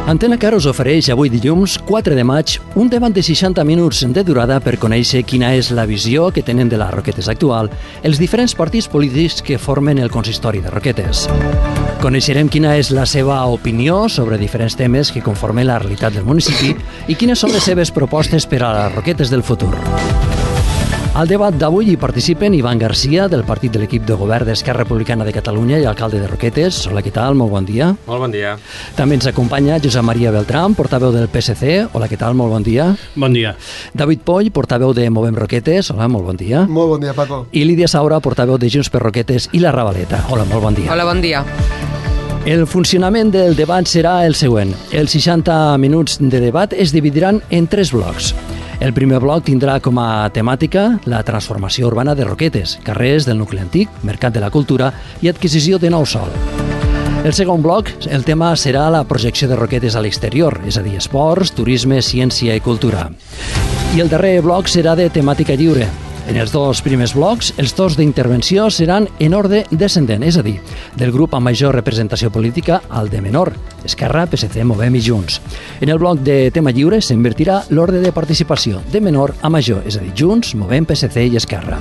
Antena Car us ofereix avui dilluns 4 de maig un debat de 60 minuts de durada per conèixer quina és la visió que tenen de les Roquetes actual els diferents partits polítics que formen el consistori de Roquetes. Coneixerem quina és la seva opinió sobre diferents temes que conformen la realitat del municipi i quines són les seves propostes per a les Roquetes del futur. Al debat d'avui hi participen Ivan Garcia, del partit de l'equip de govern d'Esquerra Republicana de Catalunya i alcalde de Roquetes. Hola, què tal? Molt bon dia. Molt bon dia. També ens acompanya Josep Maria Beltrán, portaveu del PSC. Hola, què tal? Molt bon dia. Bon dia. David Poll, portaveu de Movem Roquetes. Hola, molt bon dia. Molt bon dia, Paco. I Lídia Saura, portaveu de Junts per Roquetes i la Ravaleta. Hola, molt bon dia. Hola, bon dia. El funcionament del debat serà el següent. Els 60 minuts de debat es dividiran en 3 blocs. El primer bloc tindrà com a temàtica la transformació urbana de Roquetes, carrers del nucli antic, mercat de la cultura i adquisició de nou sòl. El segon bloc, el tema serà la projecció de Roquetes a l'exterior, és a dir, esports, turisme, ciència i cultura. I el darrer bloc serà de temàtica lliure. En els 2 primers blocs, els torns d'intervenció seran en ordre descendent, és a dir, del grup amb major representació política al de menor, Esquerra, PSC, Movem i Junts. En el bloc de tema lliure s'invertirà l'ordre de participació de menor a major, és a dir, Junts, Movem, PSC i Esquerra.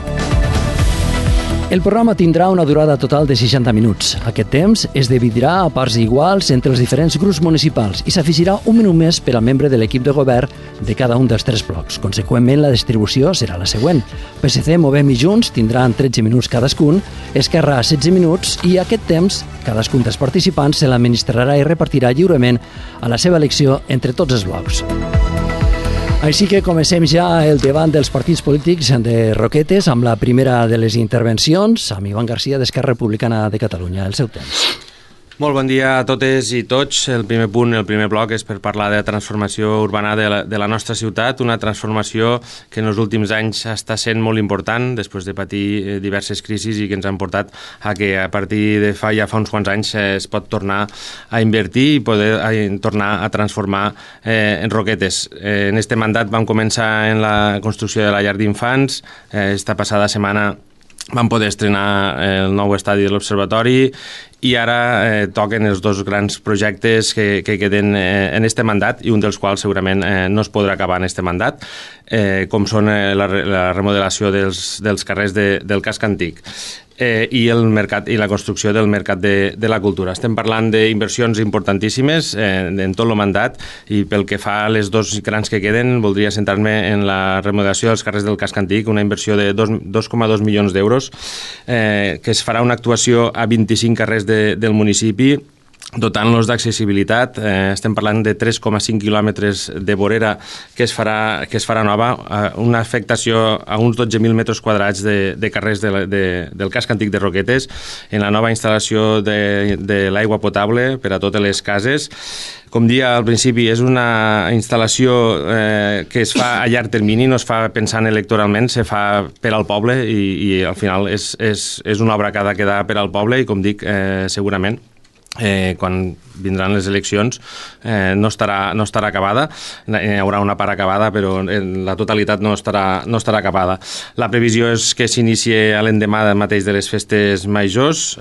El programa tindrà una durada total de 60 minuts. Aquest temps es dividirà a parts iguals entre els diferents grups municipals i s'afegirà un minut més per al membre de l'equip de govern de cada un dels 3 blocs. Conseqüentment, la distribució serà la següent. PSC, Movem i Junts tindran 13 minuts cadascun, Esquerra 16 minuts i aquest temps, cadascun dels participants se l'administrarà i repartirà lliurement a la seva elecció entre tots els blocs. Així que comencem ja el debat dels partits polítics de Roquetes amb la primera de les intervencions, amb Ivan Garcia d'Esquerra Republicana de Catalunya. El seu temps. Molt bon dia a totes i tots. El primer punt, el primer bloc, és per parlar de la transformació urbana de la nostra ciutat, una transformació que en els últims anys està sent molt important després de patir diverses crisis i que ens han portat a que a partir de fa uns quants anys es pot tornar a invertir i poder tornar a transformar en Roquetes. En este mandat vam començar en la construcció de la llar d'infants. Esta passada setmana vam poder estrenar el nou estadi de l'Observatori i ara toquen els 2 grans projectes que queden en este mandat i un dels quals segurament no es podrà acabar en este mandat, com són la remodelació dels carrers del casc antic i el mercat i la construcció del mercat de la cultura. Estem parlant d'inversions importantíssimes en tot el mandat i pel que fa a les 2 grans que queden voldria centrar-me en la remodelació dels carrers del casc antic, una inversió de 2,2 milions d'euros que es farà una actuació a 25 carrers del municipi dotant-los d'accessibilitat. Estem parlant de 3,5 quilòmetres de vorera que es farà nova, una afectació a uns 12.000 metres quadrats de carrers del casc antic de Roquetes, en la nova instal·lació de l'aigua potable per a totes les cases. Com dia al principi, és una instal·lació que es fa a llarg termini, no es fa pensant electoralment, se fa per al poble i al final és una obra que ha de quedar per al poble i, com dic, segurament quan vindran les eleccions no estarà acabada, hi haurà una part acabada però la totalitat no estarà acabada. La previsió és que s'inicie a l'endemà mateix de les festes majors.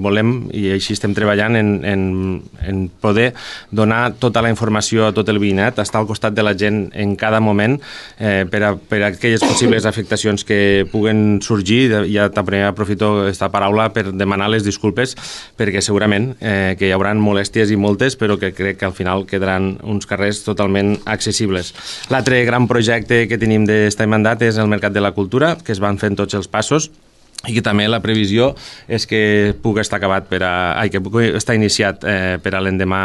Volem, i així estem treballant, en poder donar tota la informació a tot el veïnat, estar al costat de la gent en cada moment per a aquelles possibles afectacions que puguen sorgir. Ja també aprofito aquesta paraula per demanar les disculpes perquè segurament que hi haurà molèsties i moltes, però que crec que al final quedaran uns carrers totalment accessibles. L'altre gran projecte que tenim d'este mandat és el Mercat de la Cultura, que es van fent tots els passos i que també la previsió és que pugui estar iniciat per a l'endemà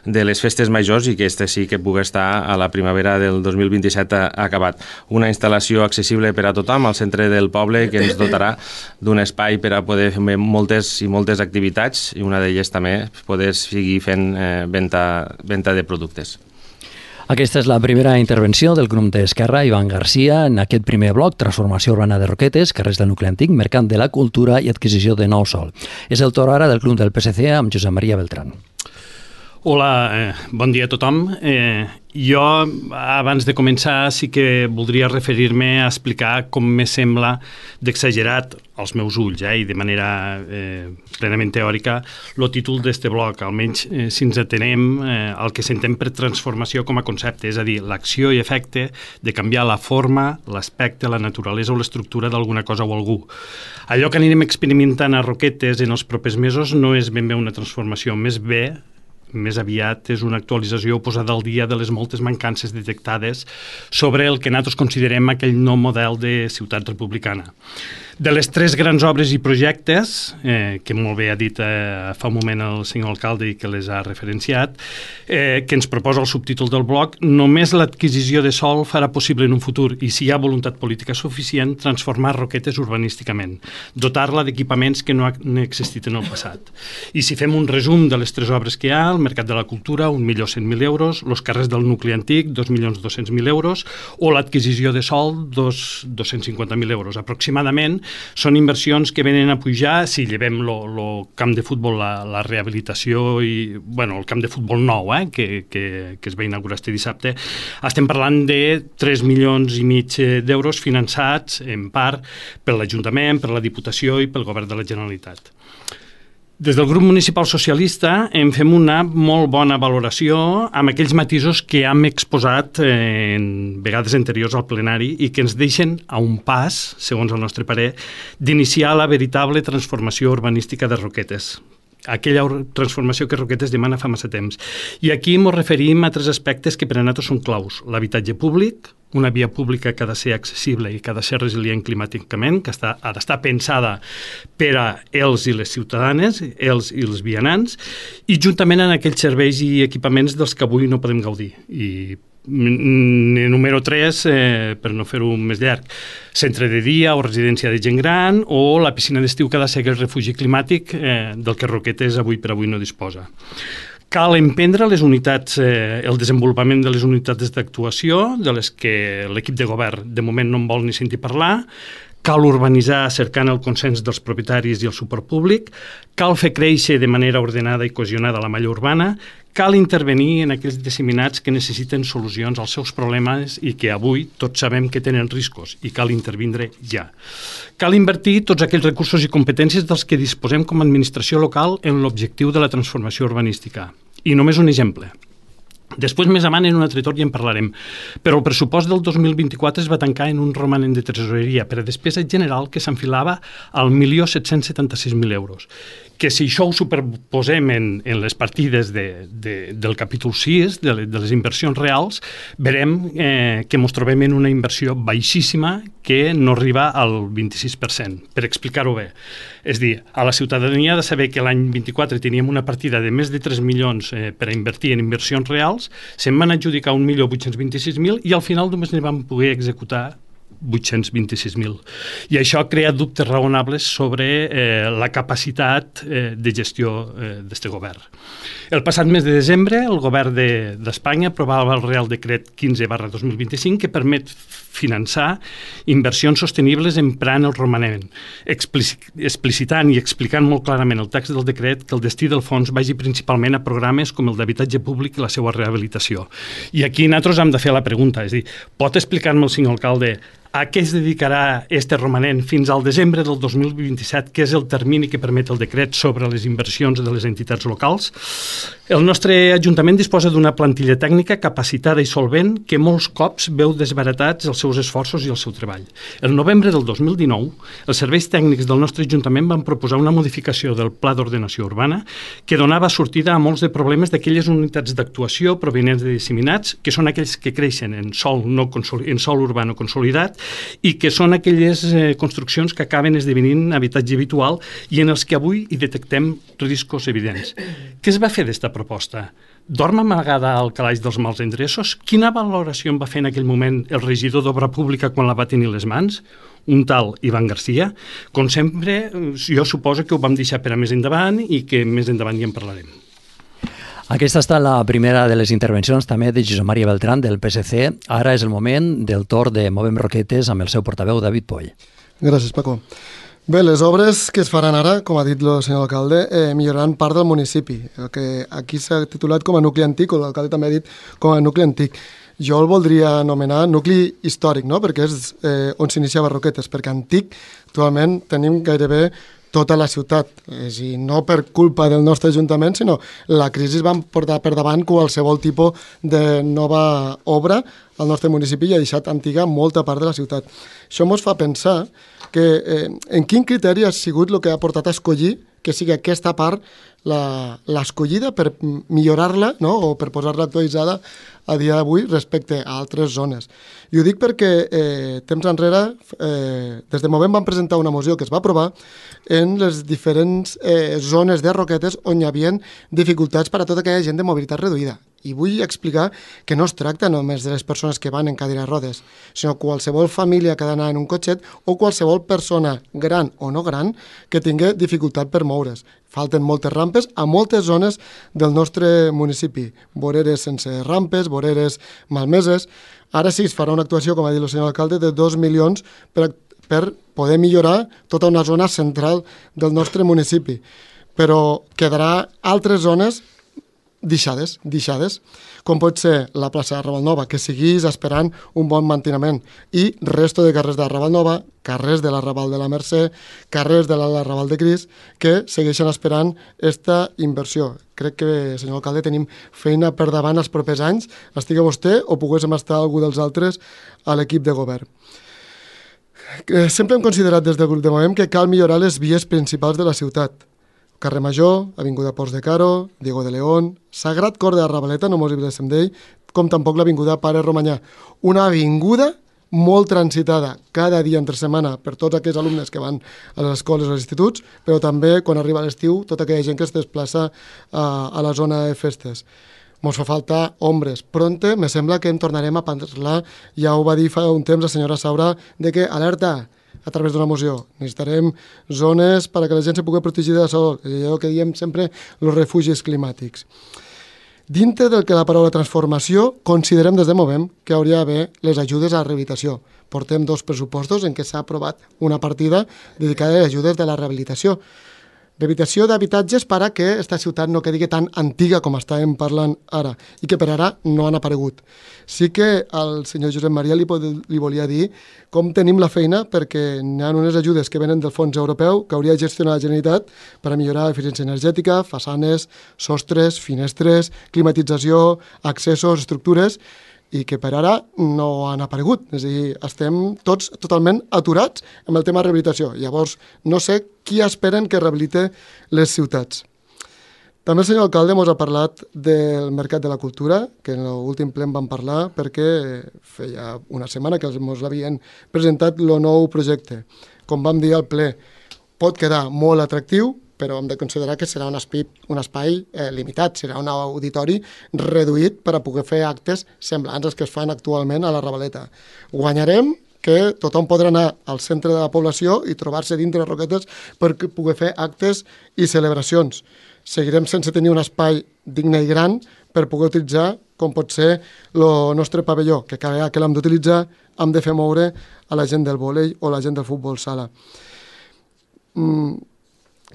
de les festes majors i que sí que pugui estar a la primavera del 2027 acabat. Una instal·lació accessible per a tothom al centre del poble que ens dotarà d'un espai per a poder fer moltes activitats i una d'elles també poder seguir fent venda de productes. Aquesta és la primera intervenció del grup d'Esquerra, Ivan Garcia, en aquest primer bloc, transformació urbana de Roquetes, carrers del nucli antic, mercat de la cultura i adquisició de nou sòl. És el torn ara del grup del PSC amb Josep Maria Beltrán. Hola, bon dia a tothom. Jo, abans de començar, sí que voldria referir-me a explicar com me sembla d'exagerat als meus ulls, i de manera plenament teòrica, el títol d'este bloc, almenys si ens atenem al que s'entén per transformació com a concepte, és a dir, l'acció i efecte de canviar la forma, l'aspecte, la naturalesa o l'estructura d'alguna cosa o algú. Allò que anirem experimentant a Roquetes en els propers mesos no és ben bé una transformació, més aviat és una actualització o posada al dia de les moltes mancances detectades sobre el que nosaltres considerem aquell nou model de ciutat republicana. De les 3 grans obres i projectes, que molt bé ha dit fa un moment el senyor alcalde i que les ha referenciat, que ens proposa el subtítol del bloc, només l'adquisició de sòl farà possible en un futur, i si hi ha voluntat política suficient, transformar Roquetes urbanísticament, dotar-la d'equipaments que no han existit en el passat. I si fem un resum de les 3 obres que hi ha, el Mercat de la Cultura, 1.100.000 euros, els carrers del nucli antic, 2.200.000 euros, o l'adquisició de sòl, 250.000 euros. Aproximadament són inversions que venen a pujar, si llevem el camp de futbol, la rehabilitació i el camp de futbol nou, que es va inaugurar este dissabte, estem parlant de 3,5 milions d'euros finançats en part per l'Ajuntament, per la Diputació i pel Govern de la Generalitat. Des del grup municipal socialista en fem una molt bona valoració amb aquells matisos que hem exposat en vegades anteriors al plenari i que ens deixen a un pas, segons el nostre parer, d'iniciar la veritable transformació urbanística de Roquetes. Aquella transformació que Roquetes demana fa massa temps. I aquí ens referim a 3 aspectes que per a nosaltres són claus. L'habitatge públic, una via pública que ha de ser accessible i que ha de ser resilient climàticament, que ha d'estar pensada per a ells i les ciutadanes, ells i els vianants, i juntament amb aquells serveis i equipaments dels que avui no podem gaudir. I número 3, per no fer-ho més llarg, centre de dia o residència de gent gran o la piscina d'estiu que ha de ser el refugi climàtic del que Roquetes avui per avui no disposa. Cal emprendre el desenvolupament de les unitats d'actuació, de les que l'equip de govern de moment no en vol ni sentir parlar. Cal urbanitzar cercant el consens dels propietaris i el suport públic, cal fer créixer de manera ordenada i cohesionada la malla urbana, cal intervenir en aquells disseminats que necessiten solucions als seus problemes i que avui tots sabem que tenen riscos i cal intervindre ja. Cal invertir tots aquells recursos i competències dels que disposem com a administració local en l'objectiu de la transformació urbanística. I només un exemple. Després, més avant, en un altre torn ja en parlarem, però el pressupost del 2024 es va tancar en un romanent de tresoreria per a despesa general que s'enfilava al 1.776.000 euros, que si això ho superposem en les partides del capítol 6, de les inversions reals, veurem que ens trobem en una inversió baixíssima que no arriba al 26%, per explicar-ho bé. És a dir, a la ciutadania ha de saber que l'any 24 teníem una partida de més de 3 milions per a invertir en inversions reals, se'n van adjudicar 1.826.000 i al final només ne vam poder executar 826.000. I això ha creat dubtes raonables sobre la capacitat de gestió d'este govern. El passat mes de desembre, el govern d'Espanya aprovava el Real Decret 15/2025 que permet finançar inversions sostenibles emprant el romanent, explicitant i explicant molt clarament el text del decret que el destí del fons vagi principalment a programes com el d'habitatge públic i la seva rehabilitació. I aquí nosaltres hem de fer la pregunta, és a dir, pot explicar-me el senyor alcalde a què es dedicarà este romanent fins al desembre del 2027, que és el termini que permet el decret sobre les inversions de les entitats locals? El nostre Ajuntament disposa d'una plantilla tècnica capacitada i solvent que molts cops veu desbaratats els seus esforços i el seu treball. El novembre del 2019, els serveis tècnics del nostre Ajuntament van proposar una modificació del Pla d'Ordenació Urbana que donava sortida a molts de problemes d'aquelles unitats d'actuació provenents de disseminats, que són aquells que creixen en sòl urbà no consolidat i que són aquelles construccions que acaben esdevenint habitatge habitual i en els que avui hi detectem riscos evidents. Què es va fer d'esta proposta? Dorm amagada al calaix dels mals endreços? Quina valoració en va fer en aquell moment el regidor d'Obra Pública quan la va tenir a les mans? Un tal Ivan Garcia? Com sempre, jo suposo que ho vam deixar per a més endavant i que més endavant ja en parlarem. Aquesta ha estat la primera de les intervencions també de Josep Maria Beltrán del PSC. Ara és el moment del torn de Movem Roquetes amb el seu portaveu David Poll. Gràcies, Paco. Bé, les obres que es faran ara, com ha dit el senyor alcalde, milloraran part del municipi, el que aquí s'ha titulat com a nucli antic, o l'alcalde també ha dit com a nucli antic. Jo el voldria anomenar nucli històric, no? Perquè és on s'iniciava Roquetes, perquè antic actualment tenim gairebé tota la ciutat, i no per culpa del nostre ajuntament, sinó la crisi va portar per davant qualsevol tipus de nova obra al nostre municipi i ha deixat antiga molta part de la ciutat. Això ens fa pensar que en quin criteri ha sigut el que ha portat a escollir que sigui aquesta part l'escollida per millorar-la, no? O per posar-la actualitzada a dia d'avui respecte a altres zones. I ho dic perquè temps enrere, des de Movem vam presentar una moció que es va aprovar en les diferents zones de Roquetes on hi havia dificultats per a tota aquella gent de mobilitat reduïda. I vull explicar que no es tracta només de les persones que van en cadira de rodes, sinó qualsevol família que ha d'anar en un cotxet o qualsevol persona gran o no gran que tingui dificultat per moure's. Falten moltes rampes a moltes zones del nostre municipi. Voreres sense rampes, voreres malmeses. Ara sí, es farà una actuació, com ha dit el senyor alcalde, de 2 milions per poder millorar tota una zona central del nostre municipi. Però quedarà altres zones deixades, com pot ser la plaça de Ravalnova, que seguís esperant un bon manteniment, i resto de carrers de Ravalnova, carrers de l'Arrabal de la Mercè, carrers de l'Arrabal de Cris, que segueixen esperant aquesta inversió. Crec que, senyor alcalde, tenim feina per davant els propers anys, estigui vostè o poguéssim estar algú dels altres a l'equip de govern. Sempre hem considerat des del grup de Movem que cal millorar les vies principals de la ciutat. Carrer Major, Avinguda Ports de Caro, Diego de León, Sagrat Cor de Arrabaleta, no mos oblidem d'ell, com tampoc l'Avinguda Pare Romanyà. Una avinguda molt transitada cada dia entre setmana per tots aquells alumnes que van a les escoles o als instituts, però també quan arriba l'estiu tota aquella gent que es desplaça a la zona de festes. Mos fa falta ombres. Pronte me sembla que en tornarem a parlar, ja ho va dir fa un temps la senyora Saura, de que alerta, a través d'una moció. Necessitarem zones perquè la gent se pugui protegir de la sol, allò que diem sempre, els refugis climàtics. Dintre del que la paraula transformació, considerem des de Movem que hauria d'haver les ajudes a la rehabilitació. Portem 2 pressupostos en què s'ha aprovat una partida dedicada a ajudes de la rehabilitació. Rehabilitació d'habitatges per a que aquesta ciutat no quedi tan antiga com estàvem parlant ara i que per ara no han aparegut. Sí que al senyor Josep Maria li volia dir com tenim la feina perquè hi ha unes ajudes que venen del fons europeu que hauria de gestionar la Generalitat per a millorar l'eficiència energètica, façanes, sostres, finestres, climatització, accessos, estructures, i que per ara no han aparegut. És a dir, estem tots totalment aturats amb el tema de rehabilitació. Llavors, no sé qui esperen que rehabilite les ciutats. També el senyor alcalde ens ha parlat del Mercat de la Cultura, que en l'últim ple en vam parlar perquè feia una setmana que ens l'havien presentat el nou projecte. Com vam dir al ple, pot quedar molt atractiu, però hem de considerar que serà un espai limitat, serà un auditori reduït per a poder fer actes semblants als que es fan actualment a la Ravaleta. Guanyarem que tothom podrà anar al centre de la població i trobar-se dintre de Roquetes per poder fer actes i celebracions. Seguirem sense tenir un espai digne i gran per poder utilitzar, com pot ser el nostre pavelló, que cada vegada que l'hem d'utilitzar hem de fer moure a la gent del vòlei o la gent del futbol sala.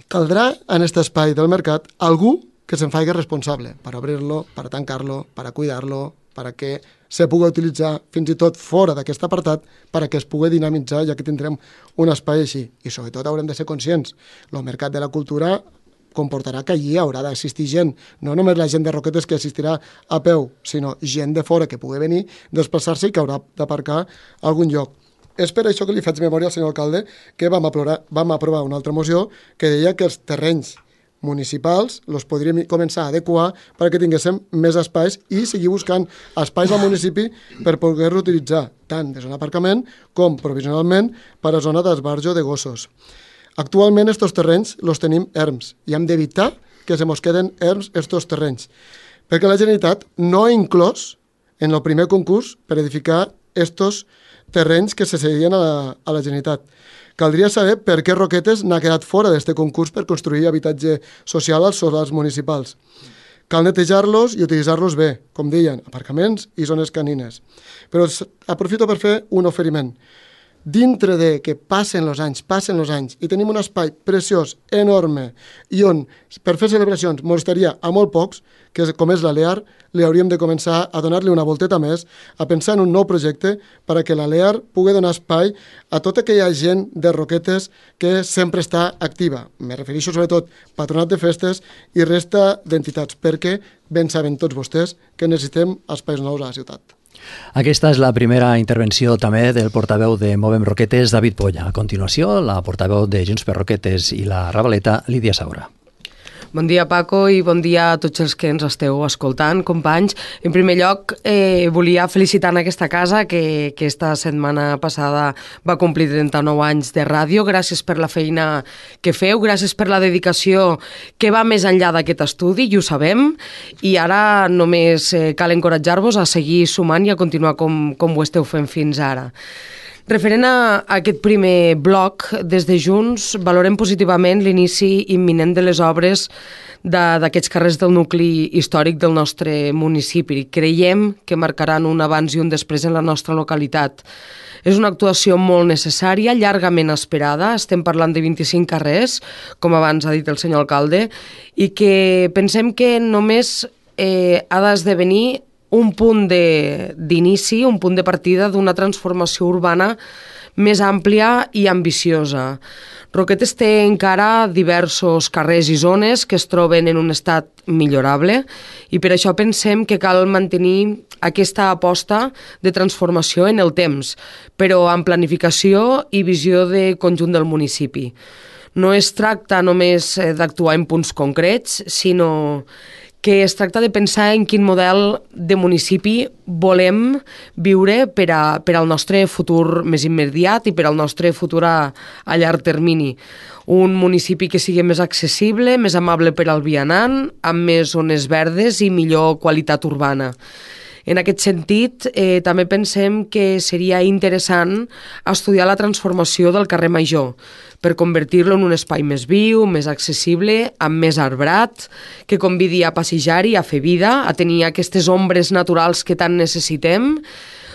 Caldrà en aquest espai del mercat algú que se'n faci responsable per obrir-lo, per tancar-lo, per cuidar-lo, perquè se pugui utilitzar fins i tot fora d'aquest apartat perquè es pugui dinamitzar ja que tindrem un espai així. I sobretot haurem de ser conscients. El mercat de la cultura comportarà que allí haurà d'assistir gent, no només la gent de Roquetes que assistirà a peu, sinó gent de fora que pugui venir, desplaçar-se i que haurà d'aparcar a algun lloc. És per això que li faig memòria al senyor alcalde que vam aprovar una altra moció que deia que els terrenys municipals els podríem començar a adequar perquè tinguéssim més espais i seguir buscant espais al municipi per poder-lo utilitzar tant de zona d'aparcament com provisionalment per a zona d'esbarjo de gossos. Actualment aquests terrenys els tenim erms i hem d'evitar que se mos queden erms aquests terrenys perquè la Generalitat no ha inclòs en el primer concurs per edificar aquests terrenys que se cedien a la Generalitat. Caldria saber per què Roquetes n'ha quedat fora d'aquest concurs per construir habitatge social als solars municipals. Cal netejar-los i utilitzar-los bé, com deien, aparcaments i zones canines. Però aprofito per fer un oferiment. dintre de que passen els anys, i tenim un espai preciós, enorme, i on per fer celebracions mos estaria a molt pocs, com és l'Alear, li hauríem de començar a donar-li una volteta més, a pensar en un nou projecte perquè l'Alear pugui donar espai a tota aquella gent de Roquetes que sempre està activa. Me refereixo sobretot a Patronat de Festes i resta d'entitats, perquè ben saben tots vostès que necessitem espais nous a la ciutat. Aquesta és la primera intervenció també del portaveu de Movem Roquetes, David Polla. A continuació, la portaveu de Junts per Roquetes i la Ravaleta, Lídia Saura. Bon dia, Paco, i bon dia a tots els que ens esteu escoltant, companys. En primer lloc, volia felicitar en aquesta casa que esta setmana passada va complir 39 anys de ràdio. Gràcies per la feina que feu, gràcies per la dedicació que va més enllà d'aquest estudi, i ho sabem, i ara només cal encoratjar-vos a seguir sumant i a continuar com ho esteu fent fins ara. Referent a aquest primer bloc, des de Junts valorem positivament l'inici imminent de les obres d'aquests carrers del nucli històric del nostre municipi. Creiem que marcaran un abans i un després en la nostra localitat. És una actuació molt necessària, llargament esperada. Estem parlant de 25 carrers, com abans ha dit el senyor alcalde, i que pensem que només ha d'esdevenir un punt d'inici, un punt de partida d'una transformació urbana més àmplia i ambiciosa. Roquetes té encara diversos carrers i zones que es troben en un estat millorable, i per això pensem que cal mantenir aquesta aposta de transformació en el temps, però amb planificació i visió de conjunt del municipi. No es tracta només d'actuar en punts concrets, sinó que es tracta de pensar en quin model de municipi volem viure per al nostre futur més immediat i per al nostre futur a llarg termini. Un municipi que sigui més accessible, més amable per al vianant, amb més zones verdes i millor qualitat urbana. En aquest sentit, també pensem que seria interessant estudiar la transformació del carrer Major per convertir-lo en un espai més viu, més accessible, amb més arbrat, que convidi a passejar-hi, a fer vida, a tenir aquestes ombres naturals que tant necessitem,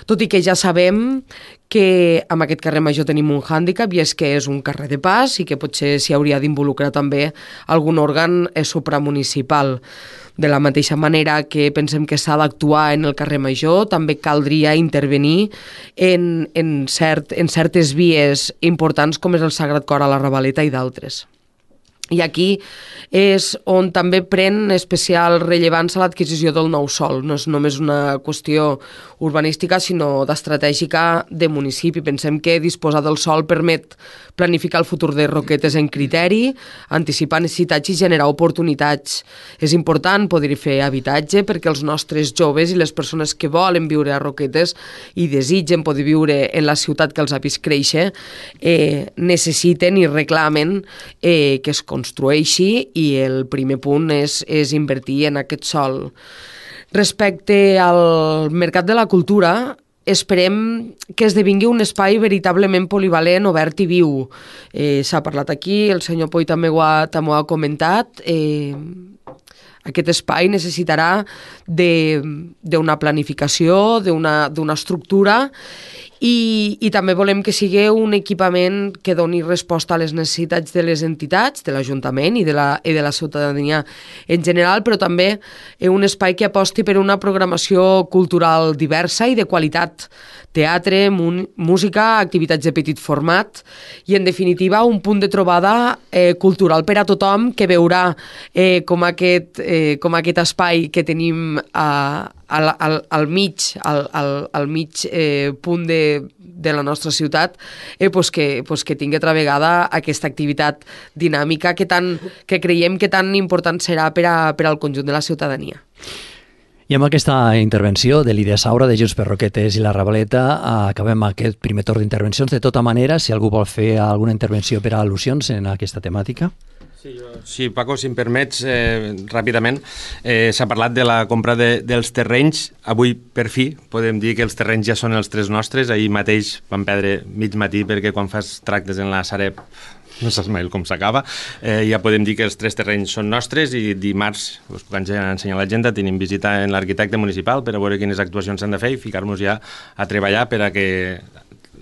tot i que ja sabem que amb aquest carrer Major tenim un hàndicap, i és que és un carrer de pas i que potser s'hi hauria d'involucrar també algun òrgan supramunicipal. De la mateixa manera que pensem que s'ha d'actuar en el carrer Major, també caldria intervenir en certes vies importants com és el Sagrat Cor a la Ravaleta i d'altres. I aquí és on també pren especial rellevància l'adquisició del nou sòl. No és només una qüestió urbanística, sinó d'estratègica de municipi. Pensem que disposar del sòl permet planificar el futur de Roquetes en criteri, anticipar necessitats i generar oportunitats. És important poder fer habitatge perquè els nostres joves i les persones que volen viure a Roquetes i desitgen poder viure en la ciutat que els ha vist créixer necessiten i reclamen que es construeixi, i el primer punt és invertir en aquest sòl. Respecte al mercat de la cultura, esperem que esdevingui un espai veritablement polivalent, obert i viu. S'ha parlat aquí, el senyor Poi també ho ha comentat. Aquest espai necessitarà d'una planificació, d'una estructura, i també volem que sigui un equipament que doni resposta a les necessitats de les entitats, de l'Ajuntament i de la ciutadania en general, però també un espai que aposti per una programació cultural diversa i de qualitat. Teatre, música, activitats de petit format i, en definitiva, un punt de trobada cultural per a tothom, que veurà com aquest espai que tenim al mig punt de la nostra ciutat que tingui altra vegada aquesta activitat dinàmica que creiem que tan important serà per al conjunt de la ciutadania. I amb aquesta intervenció de Lídia Saura, de Junts per Roquetes i la Ravaleta, acabem aquest primer torn d'intervencions. De tota manera, si algú vol fer alguna intervenció per a al·lusions en aquesta temàtica. Sí, Paco, si em permets, ràpidament, s'ha parlat de la compra dels terrenys. Avui, per fi, podem dir que els terrenys ja són els tres nostres. Ahir mateix vam perdre mig matí perquè quan fas tractes en la Sareb no saps mai com s'acaba. Ja podem dir que els tres terrenys són nostres, i dimarts, us puc ensenyar a l'agenda, tenim visita en l'arquitecte municipal per a veure quines actuacions s'han de fer i ficar-nos ja a treballar per a que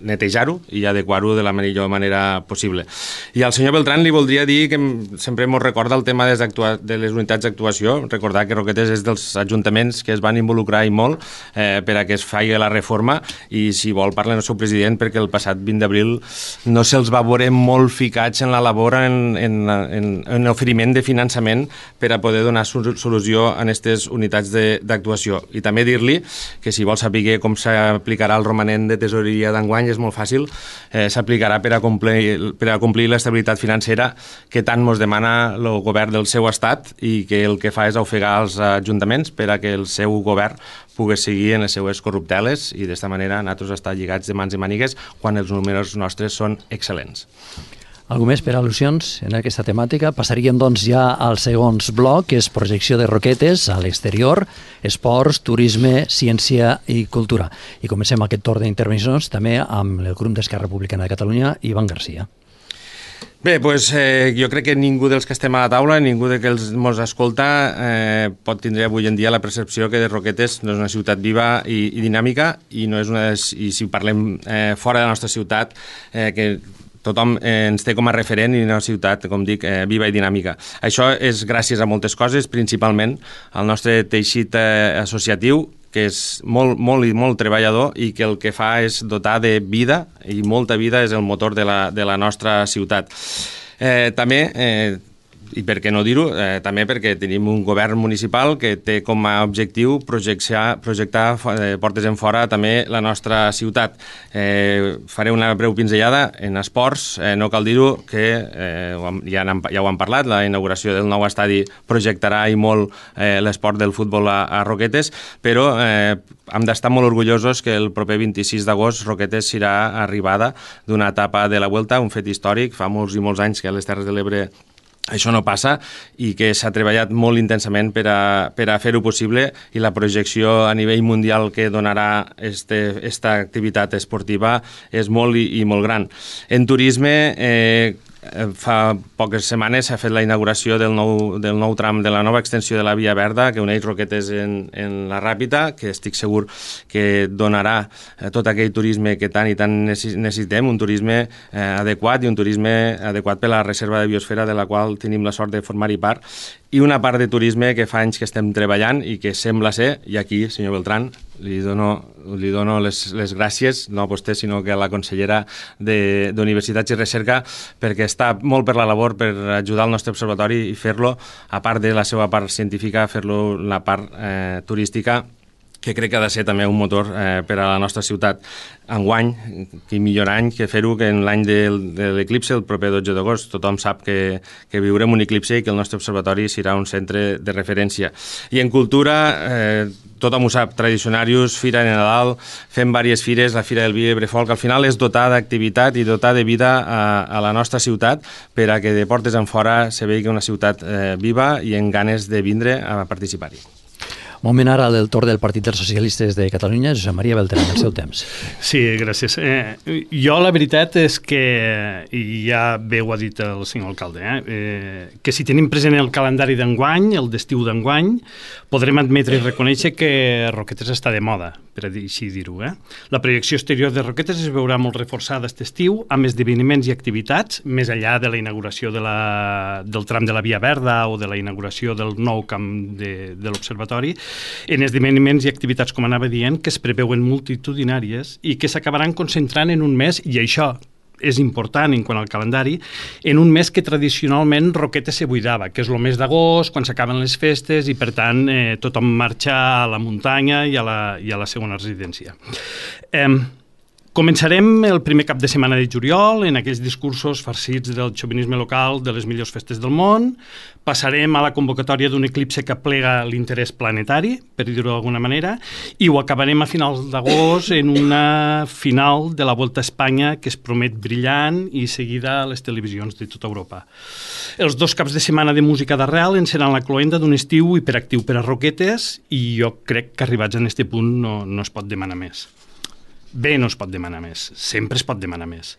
netejar-ho i adequar-ho de la millor manera possible. I al senyor Beltrán li voldria dir que sempre ens recorda el tema de les unitats d'actuació, recordar que Roquetes és dels ajuntaments que es van involucrar i molt per a que es faci la reforma, i si vol parla el seu president, perquè el passat 20 d'abril no se'ls va veure molt ficats en la labor, en l'oferiment de finançament per a poder donar solució a aquestes unitats d'actuació. I també dir-li que si vol saber com s'aplicarà el romanent de tesoreria d'enguany és molt fàcil, s'aplicarà per a complir l'estabilitat financera que tant ens demana el govern del seu estat, i que el que fa és ofegar els ajuntaments per a que el seu govern pugui seguir en les seues corrupteles, i d'esta manera nosaltres estar lligats de mans i mànigues quan els números nostres són excel·lents. Algú més per al·lusions en aquesta temàtica? Passaríem doncs ja al segon bloc, que és projecció de Roquetes a l'exterior, esports, turisme, ciència i cultura. I comencem aquest torn d'intervencions també amb el grup d'Esquerra Republicana de Catalunya, Ivan Garcia. Bé, doncs jo crec que ningú dels que estem a la taula, ningú que ens escolta, pot tindre avui en dia la percepció que de Roquetes no és una ciutat viva i dinàmica, i no és i si parlem fora de la nostra ciutat, que tothom ens té com a referent i una ciutat, com dic, viva i dinàmica. Això és gràcies a moltes coses, principalment al nostre teixit associatiu, que és molt treballador i que el que fa és dotar de vida, i molta vida és el motor de la nostra ciutat. També, i per què no dir-ho, també perquè tenim un govern municipal que té com a objectiu projectar portes en fora també la nostra ciutat. Faré una breu pinzellada en esports. No cal dir-ho que ja ho hem parlat, la inauguració del nou estadi projectarà i molt l'esport del futbol a Roquetes, però hem d'estar molt orgullosos que el proper 26 d'agost Roquetes serà arribada d'una etapa de la Vuelta, un fet històric. Fa molts i molts anys que a les Terres de l'Ebre això no passa, i que s'ha treballat molt intensament per a fer-ho possible, i la projecció a nivell mundial que donarà esta activitat esportiva és molt i molt gran. En turisme, fa poques setmanes s'ha fet la inauguració del nou tram de la nova extensió de la Via Verda, que uneix Roquetes en la Ràpita, que estic segur que donarà tot aquell turisme que tant i tant necessitem, un turisme adequat, i un turisme adequat per a la reserva de biosfera, de la qual tenim la sort de formar-hi part, i una part de turisme que fa anys que estem treballant i que sembla ser, i aquí, senyor Beltrán, li dono les gràcies, no a vostè, sinó que a la consellera d'Universitats i Recerca, perquè està molt per la labor per ajudar el nostre observatori i fer-lo, a part de la seva part científica, fer-lo la part turística, que crec que ha de ser també un motor per a la nostra ciutat. Enguany, quin millor any que fer-ho que en l'any de l'eclipse, el proper 12 d'agost. Tothom sap que viurem un eclipse i que el nostre observatori serà un centre de referència. I en cultura, tothom ho sap, Tradicionarius, Fira de Nadal, fem diverses fires, la Fira del Vi i Brefolc, al final és dotar d'activitat i dotar de vida a la nostra ciutat, per a que de portes en fora se vegi una ciutat viva i amb ganes de vindre a participar-hi. Moment ara del torn del Partit dels Socialistes de Catalunya, Josep Maria Beltrán, el seu temps. Sí, gràcies. Jo la veritat és que, i ja bé ho ha dit el senyor alcalde, que si tenim present el calendari d'enguany, el d'estiu d'enguany, podrem admetre i reconèixer que Roquetes està de moda, per així dir-ho. La projecció exterior de Roquetes es veurà molt reforçada aquest estiu amb esdeveniments i activitats, més enllà de la inauguració del tram de la Via Verda o de la inauguració del nou camp de l'Observatori, en esdeveniments i activitats, com anava dient, que es preveuen multitudinàries i que s'acabaran concentrant en un mes, i això és important en quant al calendari, en un mes que tradicionalment Roquetes se buidava, que és el mes d'agost, quan s'acaben les festes, i per tant tothom marxa a la muntanya i a la segona residència. Començarem el primer cap de setmana de juliol en aquells discursos farcits del xovinisme local de les millors festes del món. Passarem a la convocatòria d'un eclipse que plega l'interès planetari, per dir-ho d'alguna manera, i ho acabarem a finals d'agost en una final de la Volta a Espanya que es promet brillant i seguida a les televisions de tota Europa. Els 2 caps de setmana de música d'arrel en seran la cloenda d'un estiu hiperactiu per a Roquetes, i jo crec que arribats a aquest punt no es pot demanar més. Bé, no es pot demanar més, sempre es pot demanar més.